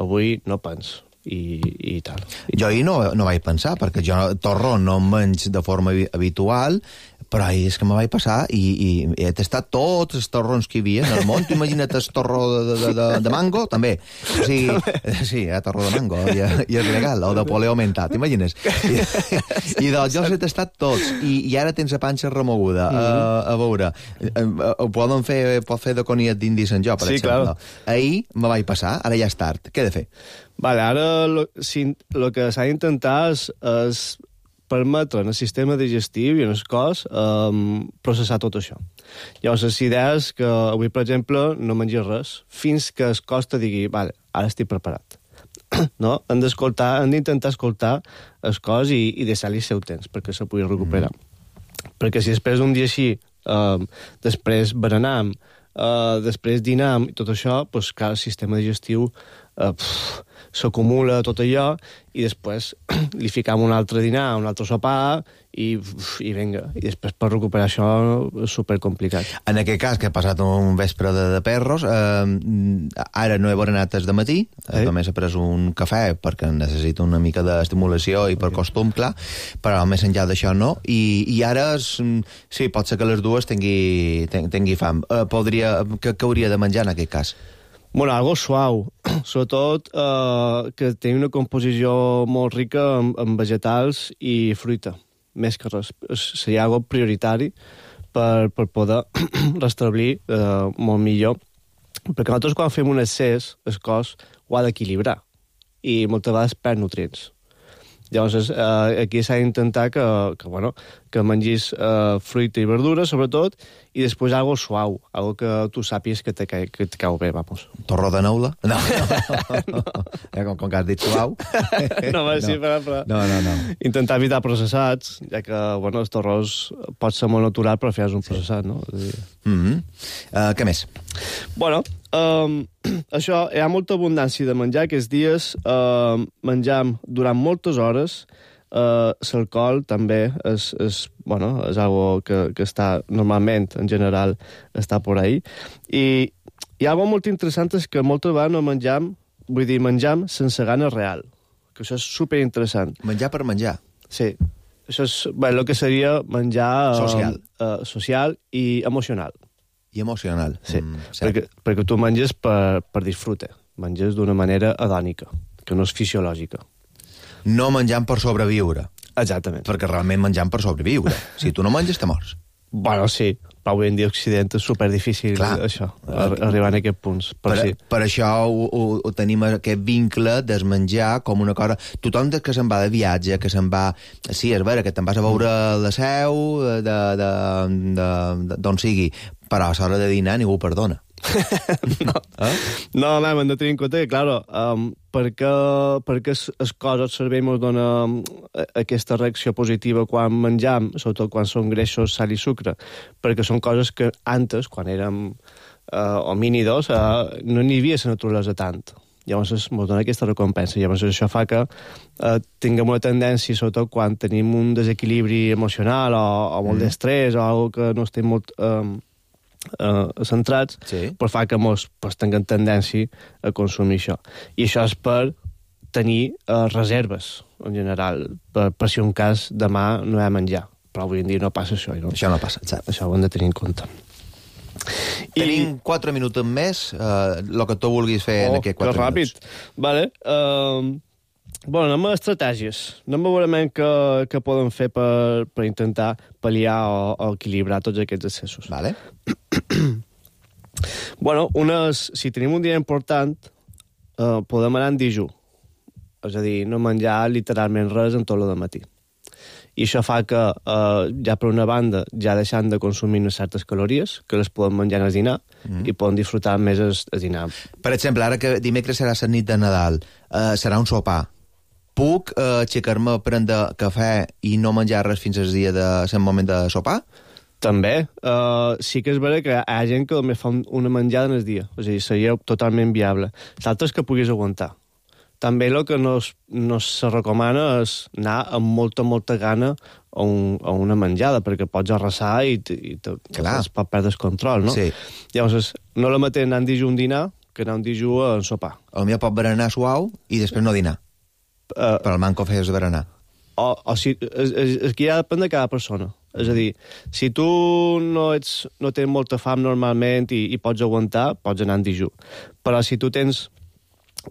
avui no pens, i, i tal. Jo ahir no, no vaig pensar, perquè jo torró no en menys de forma habitual, però ahir és que me vaig passar i, i he tastat tots els torrons que hi havia en el món. Tu imagina't el torró de, de, de, de mango, també. O sigui, sí, hi ha torró de mango i, i és legal, o de poleo aumentat, t'imagines? I, i doncs jo els he tastat tots, i, i ara tens la panxa remoguda. Mm -hmm. uh, a veure, uh, ho poden fer, pot fer de coniat d'indi Sant Jo, per sí, exemple. Claro. Ahir me vaig passar, ara ja és tard. Què he de fer? Vale, ara el si, que s'ha d'intentar és, és permetre en el sistema digestiu i en el cos um, processar tot això. Llavors, la idea és que avui, per exemple, no mengis res fins que el cos te digui, vale, ara estic preparat. No? Hem d'escoltar, hem d'intentar escoltar el cos i, i deixar-li el seu temps perquè se pugui recuperar. Mm. Perquè si després d'un dia així, um, després berenam, uh, després dinam i tot això, doncs, clar, el sistema digestiu uh, pff, s'acumula tot allò i després li ficam un altre dinar, un altre sopar i, uf, i vinga. I després per recuperar això és supercomplicat. En aquest cas, que he passat un vespre de, de perros, eh, ara no he berenat des de matí, eh? Només he pres un cafè perquè necessito una mica d'estimulació i per costum, clar, però més enllà d'això no. I, i ara, és, sí, pot ser que les dues tingui, tingui fam. Eh, podria, què, què hauria de menjar en aquest cas? Bueno, algo suau, sobretot eh, que tingui una composició molt rica en, en vegetals i fruita, més que res. Seria algo prioritari per, per poder restablir eh, molt millor. Perquè nosaltres quan fem un excés, el cos ho ha d'equilibrar i moltes vegades perd nutrients. Llavors, eh, aquí s'ha d'intentar que, que, bueno, que mengis eh, fruita i verdura, sobretot, i després algo suau, algo que tu sàpies que te, que te cau bé, vamos. Torró de neula? No, no. no. Ja, com, com que has dit suau. no, no. Sí, però, però... no, no, no. Intentar evitar processats, ja que, bueno, el torrós pot ser molt natural, però fes un processat, no? És a dir... Mm -hmm. uh, què més? Bueno, um, això, hi ha molta abundància de menjar. Aquests dies uh, menjam durant moltes hores. Uh, l'alcohol també és, és, bueno, és algo que, que està normalment, en general, està por ahí. I hi ha algo molt interessant és que moltes vegades no menjam, vull dir, menjam sense gana real, que això és superinteressant. Menjar per menjar? Sí. Això és bé, el que seria menjar... Social. Uh, social i emocional. I emocional. Sí, mm, perquè, perquè tu menges per, per disfrute, menges d'una manera hedònica, que no és fisiològica. No menjant per sobreviure. Exactament. Perquè realment menjant per sobreviure. Si tu no menges, te mors. Bueno, sí, però avui en dia a Occident és superdifícil, clar, això, arribar a aquests punts. Per, sí. per això ho, ho, ho tenim aquest vincle del menjar com una cosa... Tothom que se'n va de viatge, que se'n va... Sí, és vera, que te'n vas a veure la seu, d'on sigui, però a l'hora de dinar ningú ho perdona. no, eh? no, no, hem de tenir en compte que, claro, um, perquè, perquè el cos, el cervell ens dona aquesta reacció positiva quan menjam, sobretot quan són greixos, sal i sucre, perquè són coses que antes, quan érem uh, homínidos, uh, no n'hi havia la naturalesa tant. Llavors ens dona aquesta recompensa. Llavors això fa que uh, tinguem una tendència, sobretot quan tenim un desequilibri emocional o, o molt mm. d'estrès o alguna que no estem molt... Um, Uh, centrats, sí. però fa que mos pues, tinguem tendència a consumir això. I això és per tenir uh, reserves, en general, per, per si un cas demà no hi ha menjar. Però avui en dia no passa això. No? Això no passa, exacte. Això ho hem de tenir en compte. Tenim I... quatre minuts més, el uh, que tu vulguis fer oh, en aquests quatre ràpid. minuts. Vale. Uh, bueno, anem a estratègies. Anem a veure què, què podem fer per, per intentar pal·liar o, o equilibrar tots aquests excessos. Vale. Bueno, unes, si tenim un dia important, eh, podem anar en dijú. És a dir, no menjar literalment res en tot el matí. I això fa que, eh, ja per una banda, ja deixant de consumir unes certes calories, que les podem menjar al dinar, mm. i podem disfrutar més el, el dinar. Per exemple, ara que dimecres serà la nit de Nadal, eh, serà un sopar. Puc eh, aixecar-me a prendre cafè i no menjar res fins al dia de el moment de sopar? També. Uh, sí que és vera que hi ha gent que només fa una menjada en el dia. És a dir, seria totalment viable. L'altre és que puguis aguantar. També el que no, es, no se recomana és anar amb molta, molta gana a, un, a una menjada, perquè pots arrasar i, i te, es pot perdre el control, no? Sí. Llavors, no la mateix anar en dijú un dinar que anar un dijú a sopar. El millor pot berenar suau i després no dinar. Uh, Però el manco feies de berenar. O, o si, és, és, és que ja depèn de cada persona. És a dir, si tu no, ets, no tens molta fam normalment i, i pots aguantar, pots anar en dijú. Però si tu tens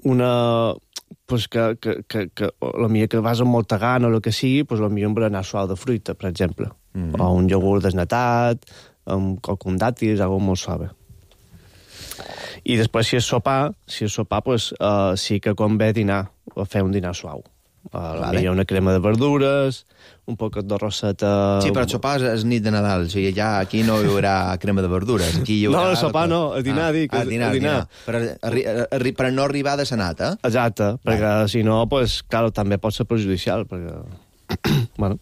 una... Pues que, que, que, que la millor que vas amb molta gana o el que sigui, pues la millor un berenar suau de fruita, per exemple. Mm. O un iogurt desnatat, amb, o con dàtils, algo molt suave. I després, si és sopar, si és sopar, pues, uh, sí que convé dinar, o fer un dinar suau. Uh, vale. Hi ha una crema de verdures, un poquet de roseta... Sí, però sopar és nit de Nadal, o sigui, ja aquí no hi haurà crema de verdures. Aquí hi haurà... No, sopar no, a dinar, ah, dic. A dinar, a dinar. Per, arri, arri, per no arribar de senat, eh? Exacte, vale. Perquè si no, pues, claro, també pot ser perjudicial, perquè... bueno...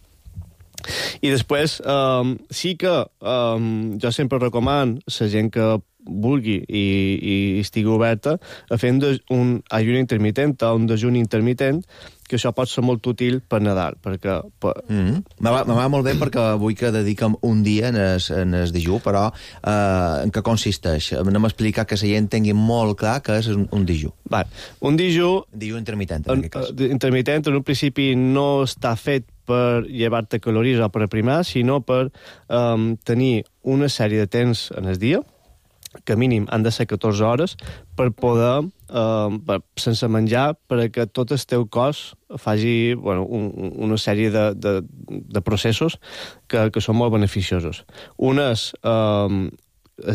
I després, um, sí que um, jo sempre recomano la gent que vulgui i, i estigui oberta a fer un, un ajun intermitent o un dejuni intermitent, que això pot ser molt útil per Nadal, perquè... Per... Mm-hmm. Me va, me va molt bé perquè vull que dediquem un dia en el, en el dejú, però eh, en què consisteix? Anem a explicar que la gent tingui molt clar que és un, un dejú. Vale. Un dejú... Dejú intermitent, en, en aquest cas. Intermitent, en un principi no està fet per llevar-te calories o per aprimar, sinó per um, tenir una sèrie de temps en el dia, que mínim han de ser catorze hores, per poder, eh, per, sense menjar, perquè tot el teu cos faci bueno, un, una sèrie de, de, de processos que, que són molt beneficiosos. Un és, eh,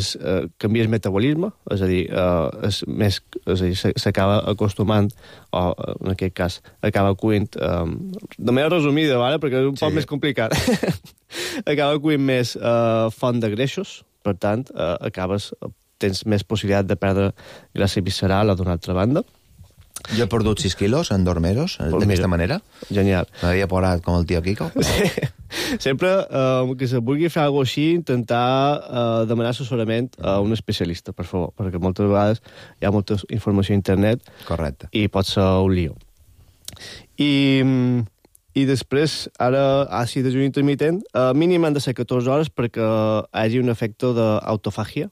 és eh, canvia el metabolisme, és a dir, eh, és més, és a dir, s'acaba acostumant, o en aquest cas, acaba cuint, eh, de manera resumida, vale? Perquè és un sí. poc més complicat, acaba cuint més eh, font de greixos, per tant, eh, acabes, tens més possibilitat de perdre gràcia visceral o d'una altra banda. Jo he perdut sis quilos en dormeros, pues d'aquesta manera. Genial. M'havia posat com el tio Kiko. Sí. Sempre eh, que se vulgui fer alguna cosa així, intentar eh, demanar assessorament a un especialista, per favor, perquè moltes vegades hi ha molta informació a internet. Correcte. I pot ser un lío. I... I després, ara, àcid de dejú intermitent, eh, mínim han de ser catorze hores perquè hi hagi un efecte d'autofàgia,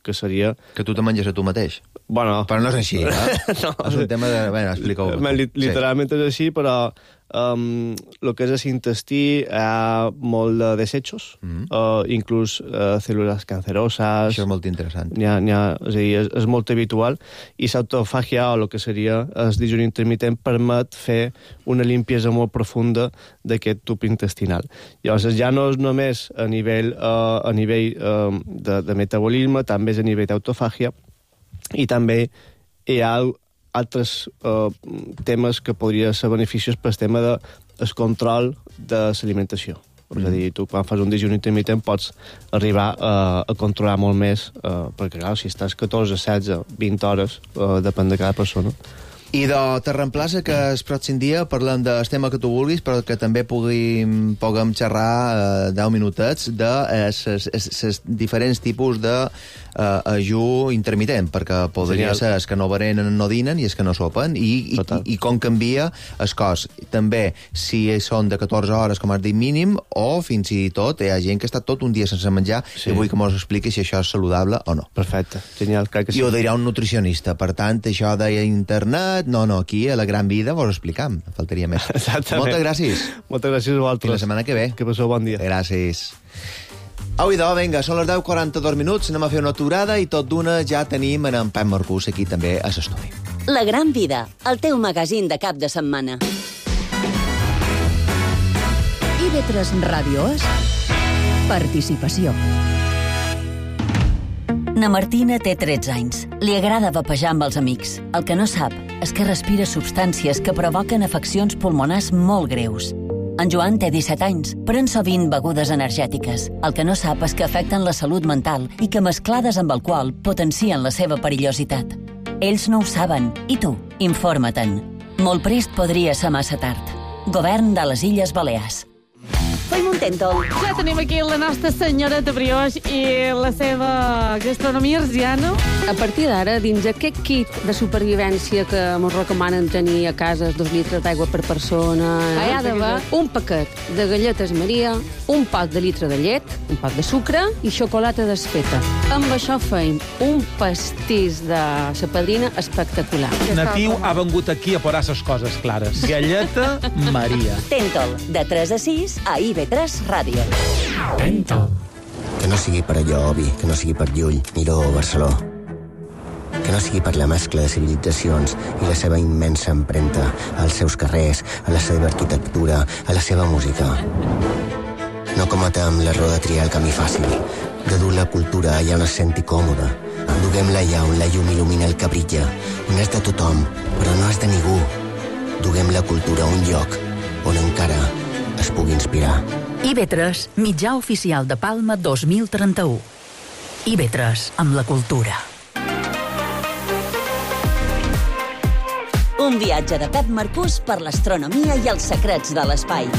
que seria... Que tu te menges a tu mateix? Bueno... Però no és així, eh? no. És un tema de... Bé, explica-ho. Literalment és així, però um, el que és el intestí hi ha molt de desechos, mm. uh, inclús uh, cèl·lules canceroses... Això és molt interessant. N'hi ha, n'hi ha, és, a dir, és, és molt habitual, i l'autofàgia, o el que seria el dejuni intermitent, permet fer una limpiesa molt profunda d'aquest tub intestinal. Llavors, ja no és només a nivell, uh, a nivell uh, de, de metabolisme, també és a nivell d'autofàgia, i també hi ha altres uh, temes que podrien ser beneficiós pel tema del de, control de l'alimentació. Mm. És a dir, tu quan fas un dejuni intermitent pots arribar uh, a controlar molt més, uh, perquè clar, si estàs catorze, setze, vint hores, uh, depèn de cada persona. I de te reemplaça que el pròxim dia parlem del tema que tu vulguis, però que també puguem, puguem xerrar eh, deu minutets de els diferents tipus de eh, ajú intermitent, perquè podria Genial. ser els que no berenen, no dinen, i els que no sopen, i, i, i com canvia el cos. També, si són de catorze hores, com has dit, mínim, o fins i tot hi ha gent que està tot un dia sense menjar, sí. i vull que mos expliqui si això és saludable o no. Perfecte, genial, crec que sí. I ho dirà un nutricionista, per tant, això d'internet, no, no, aquí a la Gran Vida vos ho explicam, faltaria més. Exactament. Moltes gràcies. Moltes gràcies a vosaltres. Fins la setmana que ve. Que passeu bon dia. Gràcies. Au, idò, vinga, són les deu quaranta-dos minuts, anem a fer una aturada i tot d'una ja tenim en en Pep Marcús aquí també a l'estudi. La Gran Vida, el teu magazín de cap de setmana. I ve tres Ràdio és participació. Na Martina té tretze anys. Li agrada vapejar amb els amics. El que no sap és que respira substàncies que provoquen afeccions pulmonars molt greus. En Joan té disset anys, pren sovint begudes energètiques. El que no sap és que afecten la salut mental i que mesclades amb alcohol potencien la seva perillositat. Ells no ho saben, i tu, informa-te'n. Molt prest podria ser massa tard. Govern de les Illes Balears. Fem un tèntol. Ja tenim aquí la nostra senyoreta brioix i la seva gastronomia arsiana. A partir d'ara, dins aquest kit de supervivència que ens recomanen tenir a casa dos litres d'aigua per persona, hi ha d'haver un paquet de galletes Maria, un pot de litre de llet, un pot de sucre i xocolata desfeta. Amb això feim un pastís de sa padrina espectacular. Natiu ha vengut aquí a posar les coses clares. Galleta Maria. Tèntol, de tres a sis a I V tres Ràdio. Tèntol. Que no sigui per allò obvi, que no sigui per Llull, Miró o Barceló. Que no sigui per la mescla de civilitzacions i la seva immensa empremta als seus carrers, a la seva arquitectura, a la seva música. No cometem l'error de triar el camí fàcil, de dur la cultura allà on es senti còmoda. Duguem-la allà on la llum il·lumina el que brilla, on és de tothom, però no és de ningú. Duguem la cultura a un lloc on encara es pugui inspirar. I V tres, mitjà oficial de Palma dos mil trenta-u. I V tres, amb la cultura. Un viatge de Pep Marcús per l'astronomia i els secrets de l'espai.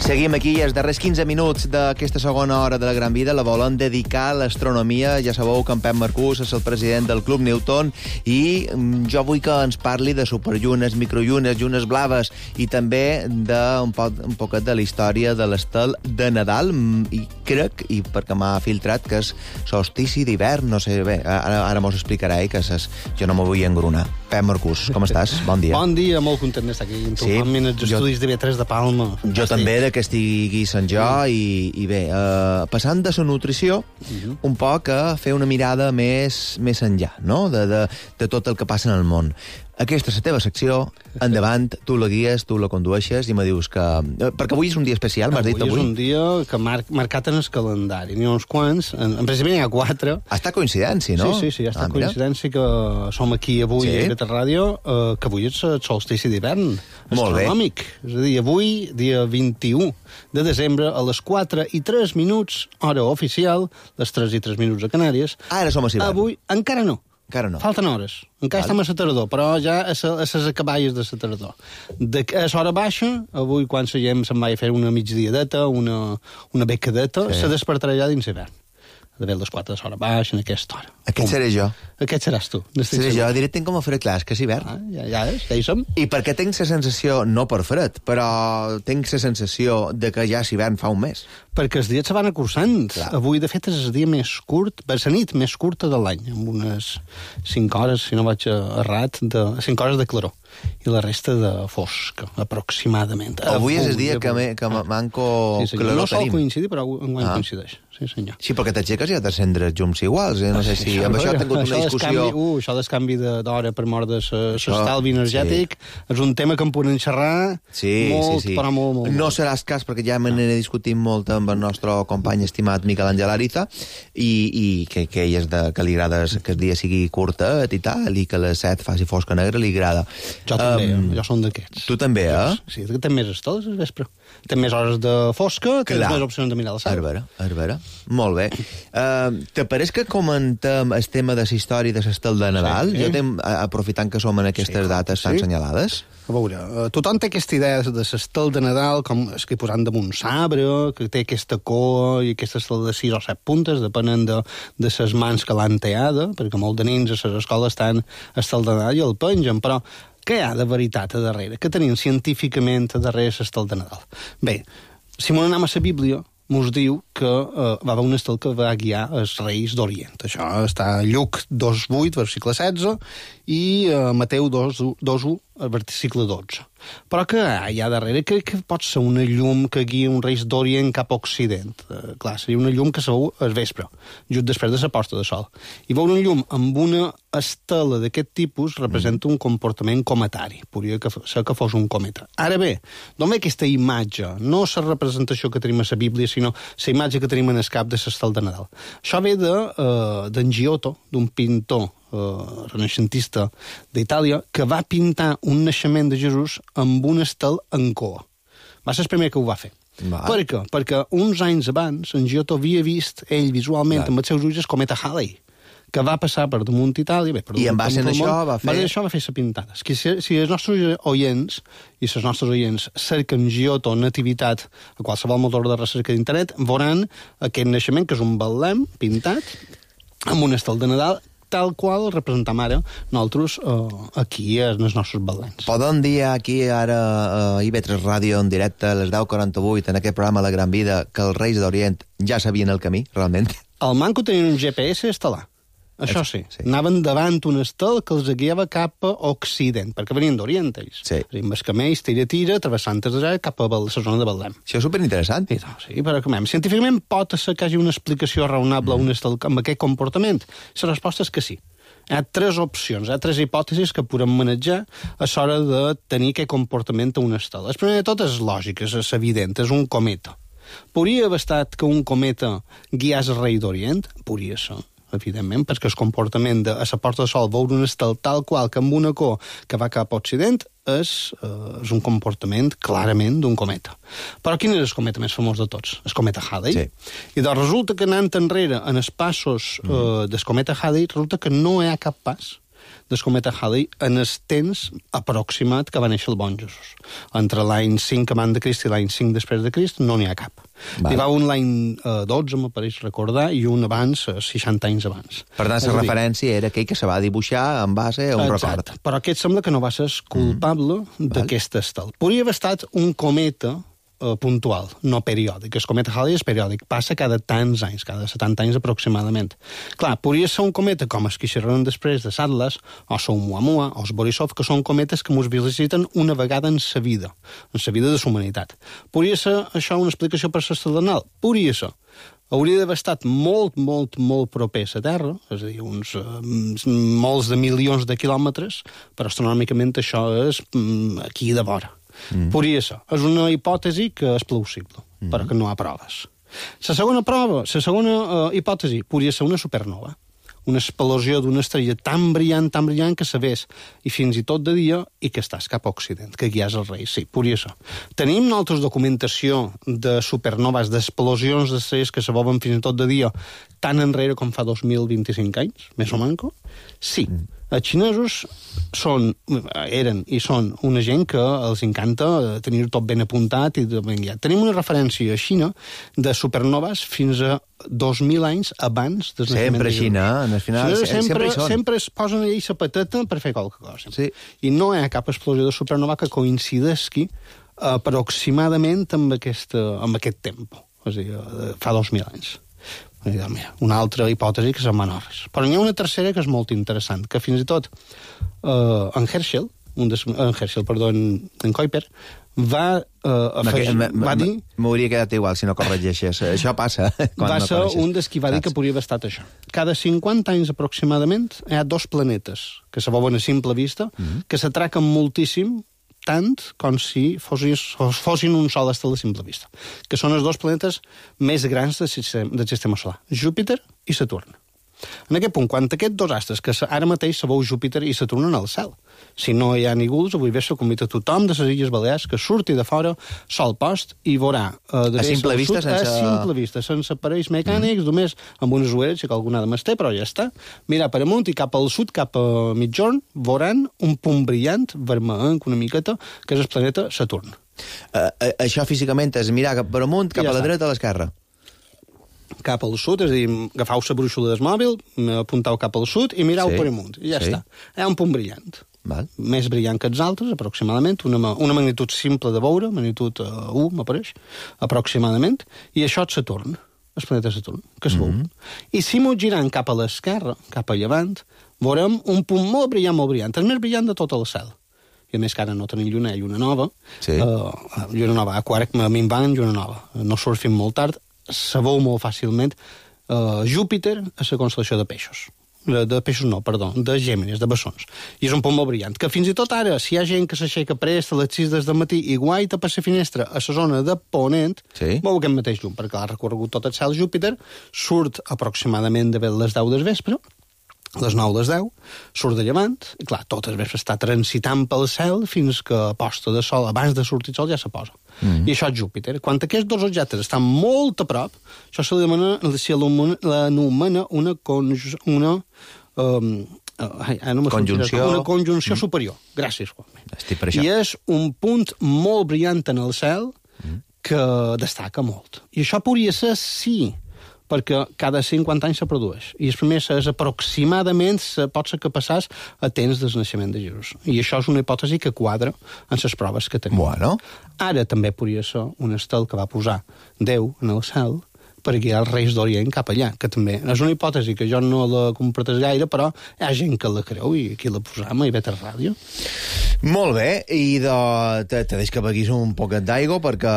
Seguim aquí i els darrers quinze minuts d'aquesta segona hora de la Gran Vida la volen dedicar a l'astronomia. Ja sabeu que en Pep Marcús és el president del Club Newton i jo vull que ens parli de superllunes, microllunes, llunes blaves i també d'un poc, un poquet de la història de l'estel de Nadal. I crec, i perquè m'ha filtrat, que és solstici d'hivern, no sé bé, ara, ara mos explicarà ell, que és, jo no m'ho vull engrunar. Pep Marcús, com estàs? Bon dia. Bon dia, molt content d'estar aquí. Sí, en els estudis de I V tres de Palma. Jo també, de que estigui Sant Jo, i, i bé, eh, passant de la nutrició, uh-huh. un poc a fer una mirada més, més enllà, no?, de, de, de tot el que passa en el món. Aquesta és la teva secció, endavant, tu la guies, tu la condueixes i me dius que... Perquè avui és un dia especial, m'has dit avui. Avui és un dia que mar marcat en el calendari. N'hi ha uns quants, en, en principi n'hi ha quatre. Ha estat coincidència, no? Sí, sí, sí, ha estat ah, coincidència que som aquí avui sí. a I V tres Ràdio, eh, que avui és el solstici d'hivern astronòmic. És a dir, avui, dia vint-i-u de desembre, a les quatre i tres minuts, hora oficial, les tres i tres minuts a Canàries. Ah, ara som a hivern. Avui, encara no. Encara no. Falten hores. Encara vale. Estem a la tardor, però ja a les acaballes de la tardor. De, a l'hora baixa, avui quan la gent se'n va a fer una migdiadeta, una, una becadeta, sí. se despertarà ja dins l'hivern. De bé les quatre de l'hora baixa, en aquesta hora. Aquest seré jo. Aquest seràs tu. Seré jo, directament com a fred, clar, és que és hivern. Ah, ja, ja és, ja hi som. I perquè tinc la sensació, no per fred, però tinc la sensació de que ja l'hivern fa un mes. Perquè els dies se van acursant. Clar. Avui, de fet, és el dia més curt, per la nit més curta de l'any, amb unes cinc hores, si no vaig errat, de cinc hores de claror. I la resta de fosca, aproximadament. Avui, avui és el dia que, me, que manco sí, claror no sol tenim. coincidir, però enguany ah. coincideix. Sí, senyor. Sí, perquè t'aixeques i ha d'encendre els llums iguals. Eh? No sé si amb això ha tingut una discussió... Canvi, uh, això del canvi d'hora per mort de l'estalvi energètic sí. és un tema que em podem xerrar sí, molt, sí, sí. però molt, molt. No seràs cas, perquè ja me n'he discutit molt amb el nostre company estimat Miquel Àngel Ariza, i, i que, que ell és de, que li agrada que el dia sigui curtet i tal, i que a les set faci fosca negra, li agrada. Jo també, um, jo som d'aquests. Tu també, eh? Sí, que té més estoles al vespre. Té més hores de fosca, té més opcions de mirar la sala. Arbera, arbera. Molt bé. Uh, te pareix que comentem el tema de la història de l'estel de Nadal? Sí, sí. Jo tem, aprofitant que som en aquestes sí, dates tan sí. assenyalades. A veure, uh, tothom té aquesta idea de l'estel de Nadal, com és que posant damunt sabre, que té aquesta coa i aquesta estel de sis o set puntes, depenent de, de les mans que l'han teada, perquè molt de nins a les escoles estan estel de Nadal i el pengen, però què hi ha de veritat a darrere? Què tenim científicament a darrere l'estel de Nadal? Bé, si m'ho anem a la Bíblia, mos diu que uh, va haver un estel que va guiar els reis d'Orient. Això està a Lluc dos vuit, versicle setze, i uh, Mateu dos u, versicle dotze. Però que hi ha darrere que, que pot ser una llum que guia un reis d'Orient cap a Occident. Uh, clar, seria una llum que se veu al vespre, just després de la posta de sol. I veure una llum amb una estela d'aquest tipus representa un comportament cometari. Podria ser que fos un cometa. Ara bé, d'on ve aquesta imatge? No la representació que tenim a la Bíblia, sinó la imatge que tenim en el cap de l'estel de Nadal. Això ve d'en de, uh, Giotto, d'un pintor Uh, renaixentista d'Itàlia, que va pintar un naixement de Jesús amb un estel en coa. Va ser el primer que ho va fer. Va. Per què? Perquè uns anys abans en Giotto havia vist ell visualment Va. amb els seus ulls el cometa Halley, que va passar per damunt Itàlia. Bé, per I en base a això va fer... Va això va fer la pintada. Si, si els nostres oients i els nostres oients cerquen Giotto nativitat a qualsevol motor de recerca d'internet, veuran aquest naixement, que és un betlem pintat amb un estel de Nadal, tal qual representam ara nosaltres eh, aquí en els nostres betlems. Podem dir aquí ara a I V tres Ràdio en directe a les deu quaranta-vuit en aquest programa La Gran Vida que els Reis d'Orient ja sabien el camí, realment? Al manco tenien un G P S instal·lat. Això sí, sí, anaven davant un estel que els guiava cap a Occident, perquè venien d'Orient, ells. Sí. Amb els camells, tira-tira, travessant des d'allà cap a la zona de Betlem. Això és superinteressant. Sí, no, sí, però com científicament pot ser que hi hagi una explicació raonable mm. un estel amb aquest comportament? La resposta és que sí. Hi ha tres opcions, hi ha tres hipòtesis que podem manejar a l'hora de tenir aquest comportament a un estel. La primera de tot és lògica, és evident, és un cometa. Podria haver estat que un cometa guiés el rei d'Orient? Podria ser, evidentment, perquè el comportament de a la porta del Sol veure un estel tal qual que amb una cor que va cap a Occident és, eh, és un comportament clarament d'un cometa. Però quin és el cometa més famós de tots? El cometa Halley. Sí. I doncs resulta que anant enrere en els passos eh, mm. del cometa Halley, resulta que no hi ha cap pas del cometa Halley en el temps aproximat que va néixer el bon Jesús. Entre l'any cinc abans de Crist i l'any cinc després de Crist no n'hi ha cap. Vale. Hi va un l'any eh, dotze, m'apareix recordar, i un abans, eh, seixanta anys abans. Per tant, la referència era aquell que se va dibuixar en base a un Exacte. record. Però aquest sembla que no va ser culpable mm. d'aquest estel. Podria haver estat un cometa eh, puntual, no periòdic. El cometa Halley és periòdic, passa cada tants anys, cada setanta anys aproximadament. Clar, podria ser un cometa com els que xerraran després de l'Atlas, o el Oumuamua, o el Borisov, que són cometes que ens visiten una vegada en sa vida, en sa vida de la humanitat. Podria ser això una explicació per l'estel anal? Podria ser. Hauria d'haver estat molt, molt, molt proper a la Terra, és a dir, uns uh, molts de milions de quilòmetres, però astronòmicament això és um, aquí de vora. Mm. Podria ser. És una hipòtesi que és plausible, mm. però que no hi ha proves. La segona prova, la segona uh, hipòtesi, podria ser una supernova. Una explosió d'una estrella tan brillant, tan brillant, que se vés, i fins i tot de dia, i que estàs cap a Occident, que guies el rei. Sí, podria ser. Tenim nosaltres documentació de supernoves, d'explosions d'estrelles que se veuen fins i tot de dia, tan enrere com fa dos mil vint-i-cinc anys, més o manco? Sí. Mm. Els xinesos són, eren i són una gent que els encanta tenir tot ben apuntat i ben guiat. Tenim una referència a Xina de supernoves fins a dos mil anys abans del naixement sempre de Jesús. Xina, al final, sempre, sempre hi són. Sempre es posen allà la patata per fer qualque cosa. Sí. I no hi ha cap explosió de supernova que coincidesqui aproximadament amb, aquesta, amb aquest temps, és a dir, fa dos mil anys. Una altra hipòtesi que són menors. Però n'hi ha una tercera que és molt interessant, que fins i tot eh, en Herschel, un des, en Herschel, perdó, en, en Kuiper, va, eh, afegir, va dir... M'hauria quedat igual si no corregeixes. Això passa. Va no ser corregeixes. un dels qui va dir que podria haver estat això. Cada cinquanta anys aproximadament hi ha dos planetes que se veuen a simple vista, mm-hmm. que s'atraquen moltíssim, tant com si fossin, fossin un sol estel de simple vista, que són els dos planetes més grans del sistema, del sistema solar, Júpiter i Saturn. En aquest punt, quan aquests dos astres, que ara mateix se veu Júpiter i Saturn en el cel, si no hi ha nígols, avui vespre convida tothom de les Illes Balears que surti de fora, sol post, i veurà... Eh, a simple vista, sud, sense... A simple vista, sense aparells mecànics, mm. només amb unes ulleres, si que alguna de més té, però ja està. Mirar per amunt i cap al sud, cap a mitjorn, veuran un punt brillant, vermellenc, una miqueta, que és el planeta Saturn. Uh, uh, això físicament és mirar cap per amunt, cap ja a la està. Dreta o a l'esquerra? Cap al sud, és a dir, agafau la brúixola del mòbil, apuntau cap al sud i mirau sí, per amunt. I ja sí. està. Hi ha un punt brillant. Val. Més brillant que els altres, aproximadament, una, una magnitud simple de veure, magnitud uh, u, m'apareix, aproximadament, i això és Saturn, el planeta Saturn, que es veu. Mm-hmm. I si m'ho girant cap a l'esquerra, cap a llevant, veurem un punt molt brillant, molt brillant, el més brillant de tot el cel. I a més que ara no tenim lluna, hi ha lluna nova, sí. uh, lluna nova, a quart minvant, lluna nova, no surt fins molt tard, se veu molt fàcilment uh, Júpiter a la constel·lació de peixos. De, de peixos no, perdó, de Gèmenes, de bessons. I és un punt molt brillant, que fins i tot ara, si hi ha gent que s'aixeca prest a les sis del matí i guaita per la finestra a la zona de Ponent, sí. veu aquest mateix llum, perquè l'ha recorregut tot el cel Júpiter, surt aproximadament de les deu del vespre, les nou les deu, surt de llevant, i clar, tot el vespre està transitant pel cel fins que a posta de sol, abans de sortir el sol, ja se posa. Mm. I això és Júpiter. Quan aquests dos objectes estan molt a prop, això se l'anomena una conjunció... Una, um, Ai, no conjunció... Una conjunció mm. superior. Gràcies, Juan. Estic per això. I és un punt molt brillant en el cel mm. que destaca molt. I això podria ser sí, perquè cada cinquanta anys se produeix. I el primer és aproximadament, pot ser que passàs a temps del naixement de Jesús. I això és una hipòtesi que quadra en les proves que tenim. Bueno. Ara també podria ser un estel que va posar Déu en el cel per guiar els reis d'Orient cap allà, que també és una hipòtesi que jo no la comparteix gaire, però hi ha gent que la creu i aquí la posam a I V tres Ràdio. Molt bé, i de, te, te deix que beguis un poquet d'aigua perquè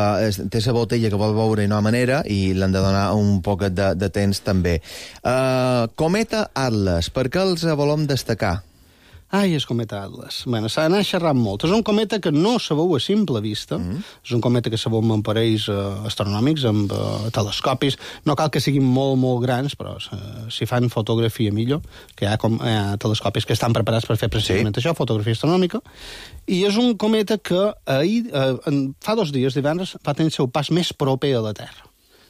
té la botella que vol beure i no ha manera i l'han de donar un poquet de, de temps també. Uh, cometa Atlas, per què els volem destacar? Ai, el cometa Atlas. Bueno, s'ha d'anar xerrant molt. És un cometa que no se veu a simple vista. Mm. És un cometa que se veu amb aparells eh, astronòmics, amb eh, telescopis. No cal que siguin molt, molt grans, però eh, si fan fotografia millor, que hi ha, com, hi ha telescopis que estan preparats per fer precisament sí. això, fotografia astronòmica. I és un cometa que ahir, eh, fa dos dies, divendres, va tenir el seu pas més proper a la Terra,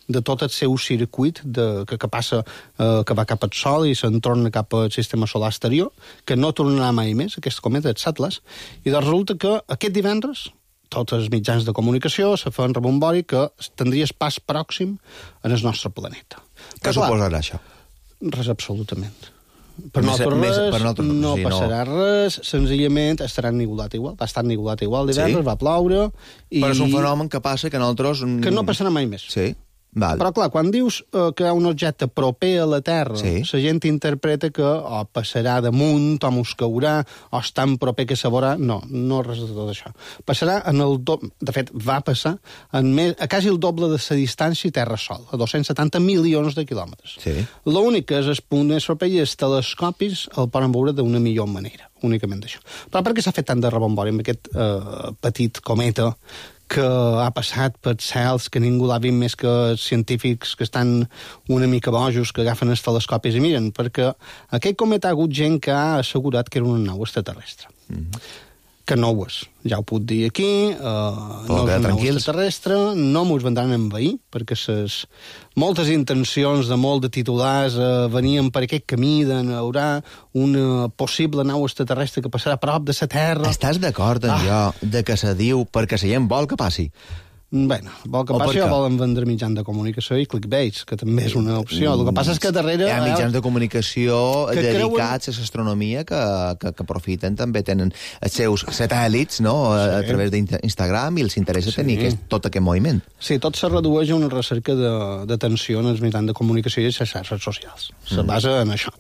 de tot el seu circuit de, que, que passa, eh, que va cap al Sol i se'n torna cap al sistema solar exterior, que no tornarà mai més, aquest cometa, el Atlas, i doncs resulta que aquest divendres tots els mitjans de comunicació se fan rebombori que tindria el pas pròxim en el nostre planeta. Què suposarà això? Res, absolutament. Per més, nosaltres més, res, per nosaltres, no sí, passarà no. res, senzillament estarà ennubulat igual, va estar ennubulat igual divendres, sí? va ploure... I... Però és un fenomen que passa que nosaltres... Que no passarà mai més. Sí. Val. Però, clar, quan dius eh, que hi ha un objecte proper a la Terra, sí. la gent interpreta que o passarà damunt, o mos caurà, o és tan proper que se veurà. No, no res de tot això. Passarà en el doble... De fet, va passar en més, a quasi el doble de la distància Terra-Sol, a dos-cents setanta milions de quilòmetres. Sí. L'únic que és el punt més proper i els telescopis el poden veure d'una millor manera, únicament d'això. Però per què s'ha fet tant de rebombori amb aquest eh, petit cometa que ha passat per cels que ningú l'ha vist més que els científics que estan una mica bojos, que agafen els telescopis i miren, perquè aquest cometa ha hagut gent que ha assegurat que era una nau extraterrestre. Mm-hmm. Que no ho és, ja ho puc dir aquí, uh, no és una nau extraterrestre, no mos vendran a envair, perquè ses moltes intencions de molt de titulars uh, venien per aquest camí de haurà una possible nau extraterrestre que passarà a prop de la Terra. Estàs d'acord amb ah. jo de que se diu perquè la gent vol que passi? Bueno, vol que passi o volen vendre mitjans de comunicació i clickbaits, que també és una opció. El que passa és que darrere... Hi ha mitjans de comunicació que dedicats creuen... a l'astronomia que, que, que aprofiten, també tenen els seus satèl·lits, no?, a, sí. a través d'Instagram, i els interessa sí. tenir aquest, tot aquest moviment. Sí, tot se redueix a una recerca d'atenció en els mitjans de comunicació i les xarxes socials. Se mm. basa en això.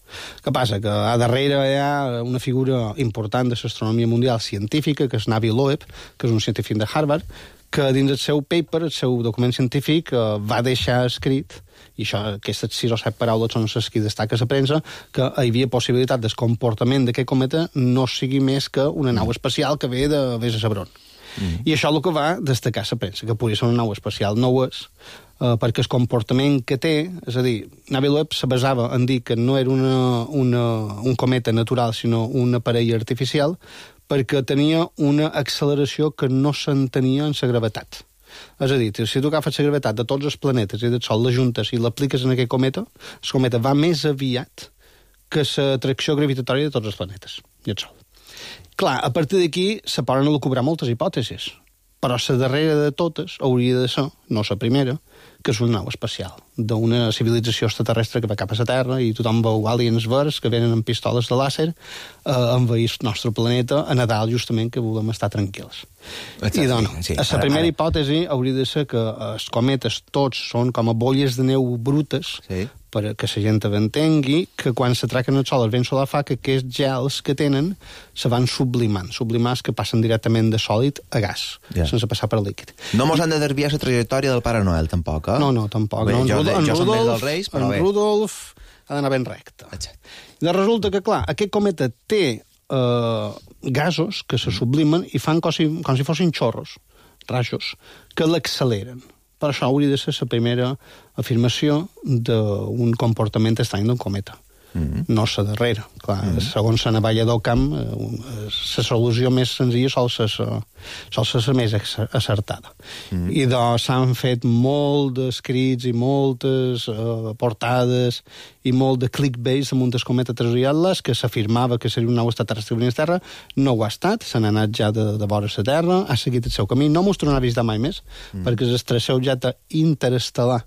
Què passa? Que a darrere hi ha una figura important de l'astronomia mundial científica, que és Navi Loeb, que és un científic de Harvard, que dins el seu paper, el seu document científic, eh, va deixar escrit, i això, aquestes sis o set paraules són les que destaca la premsa, que hi havia possibilitat del comportament d'aquest cometa no sigui més que una nau espacial que ve de vés a Sabron. Mm. I això és el que va destacar la premsa, que podria ser una nau espacial. No ho és, eh, perquè el comportament que té, és a dir, Navi Loeb se basava en dir que no era una, una, un cometa natural, sinó un aparell artificial, perquè tenia una acceleració que no s'entenia en la gravetat. És a dir, si tu agafes la gravetat de tots els planetes i del Sol, la juntes i l'apliques en aquest cometa, el cometa va més aviat que l'atracció gravitatòria de tots els planetes i el Sol. Clar, a partir d'aquí se poden elucubrar moltes hipòtesis, però la darrera de totes hauria de ser, no la primera, que és una nau espacial, d'una civilització extraterrestre que va cap a la Terra i tothom veu aliens verds que venen amb pistoles de làser a eh, envair el nostre planeta a Nadal, justament, que volem estar tranquils. Exacte, I doncs, sí, sí. la primera ara, ara. hipòtesi hauria de ser que els cometes tots són com a bolles de neu brutes, sí. perquè la gent entengui que quan s'atraquen el Sol el vent solar fa que aquests gels que tenen se van sublimant. Sublimats que passen directament de sòlid a gas, yeah. sense passar per líquid. No mos han de desviar la trajectòria del Pare Noel, tampoc, eh? No, no, tampoc. Bé, no, en jo, Rudolf, jo en som Rudolf, dels Reis, però en bé. Rudolf ha d'anar ben recte. I resulta que, clar, aquest cometa té eh, gasos que se sublimen i fan com si, com si fossin xorros, rajos, que l'acceleren. Per això hauria de ser la primera afirmació d'un comportament estrany d'un cometa. Mm. No la darrera. Clar, mm. segons la navalla del camp, la solució més senzilla sol ser la més acertada. Mm. I doncs s'han fet molt d'escrits i moltes uh, portades i molt de clickbait amb un descomet a Tres Atlas que s'afirmava que seria un nou extraterrestre que a Terra. No ho ha estat, se n'ha anat ja de, de vora la Terra, ha seguit el seu camí, no mos tornarà a visitar mai més, mm. perquè és el tercer objecte interestel·lar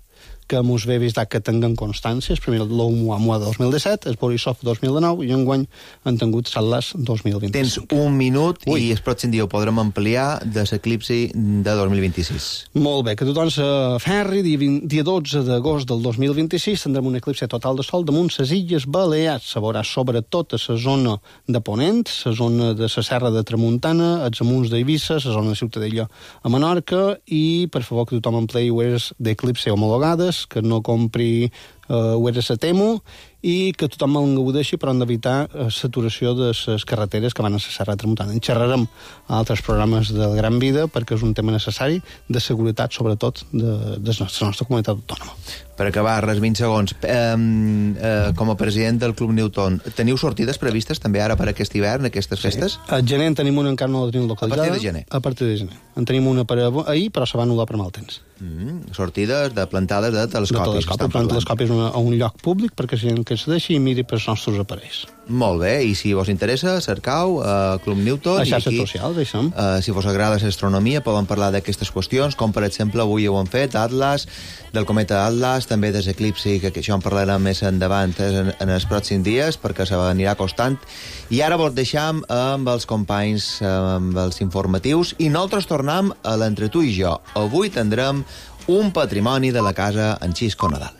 que mos ve visitar que tinguem constàncies. Primer l'Oumuamua dos mil disset, el Borisov dos mil dinou i enguany han tingut Atlas dos mil vint-i-cinc. Tens un minut Ui. I el pròxim dia ho podrem ampliar de l'eclipsi de dos mil vint-i-sis. Molt bé, que tothom s'aferri. Dia, dia dotze d'agost del dos mil vint-i-sis tindrem un eclipsi total de sol damunt les Illes Balears. Se veurà sobretot a la zona de Ponent, la zona de la Serra de Tramuntana, els amunts d'Eivissa, la zona de Ciutadella a Menorca, i per favor que tothom empleï ulleres d'eclipsi homologades, que no compri uh, ulleres a Temu, i que tothom en gaudeixi, però hem d'evitar uh, saturació de les carreteres que van a la Serra de Tramuntana. En xerrarem a altres programes de Gran Vida perquè és un tema necessari de seguretat, sobretot, de, de la nostra comunitat autònoma. Per acabar, res, vint segons. Eh, eh, com a president del Club Newton, teniu sortides previstes també ara per aquest hivern, aquestes festes? Sí. A gener en tenim una, encara no la tenim localitzada. A partir de gener? A partir de gener. En tenim una per ahir, però se va anul·lar per mal temps. Mm, sortides de plantades de telescopis. De telescopis, plantar telescopis a un lloc públic perquè si gent que es deixi i miri pels nostres aparells. Molt bé, i si vos interessa, cercau uh, Club Newton. A xarxes socials, deixem. Uh, si vos agrada l'astronomia, poden parlar d'aquestes qüestions, com per exemple avui ho han fet, Atlas, del cometa Atlas, també des eclipsi, que, que això en parlarem més endavant en, en els pròxims dies, perquè se anirà costant. I ara vos deixam amb els companys, amb els informatius, i nosaltres tornem a l'Entre tu i jo. Avui tindrem un patrimoni de la casa en Xisco Nadal.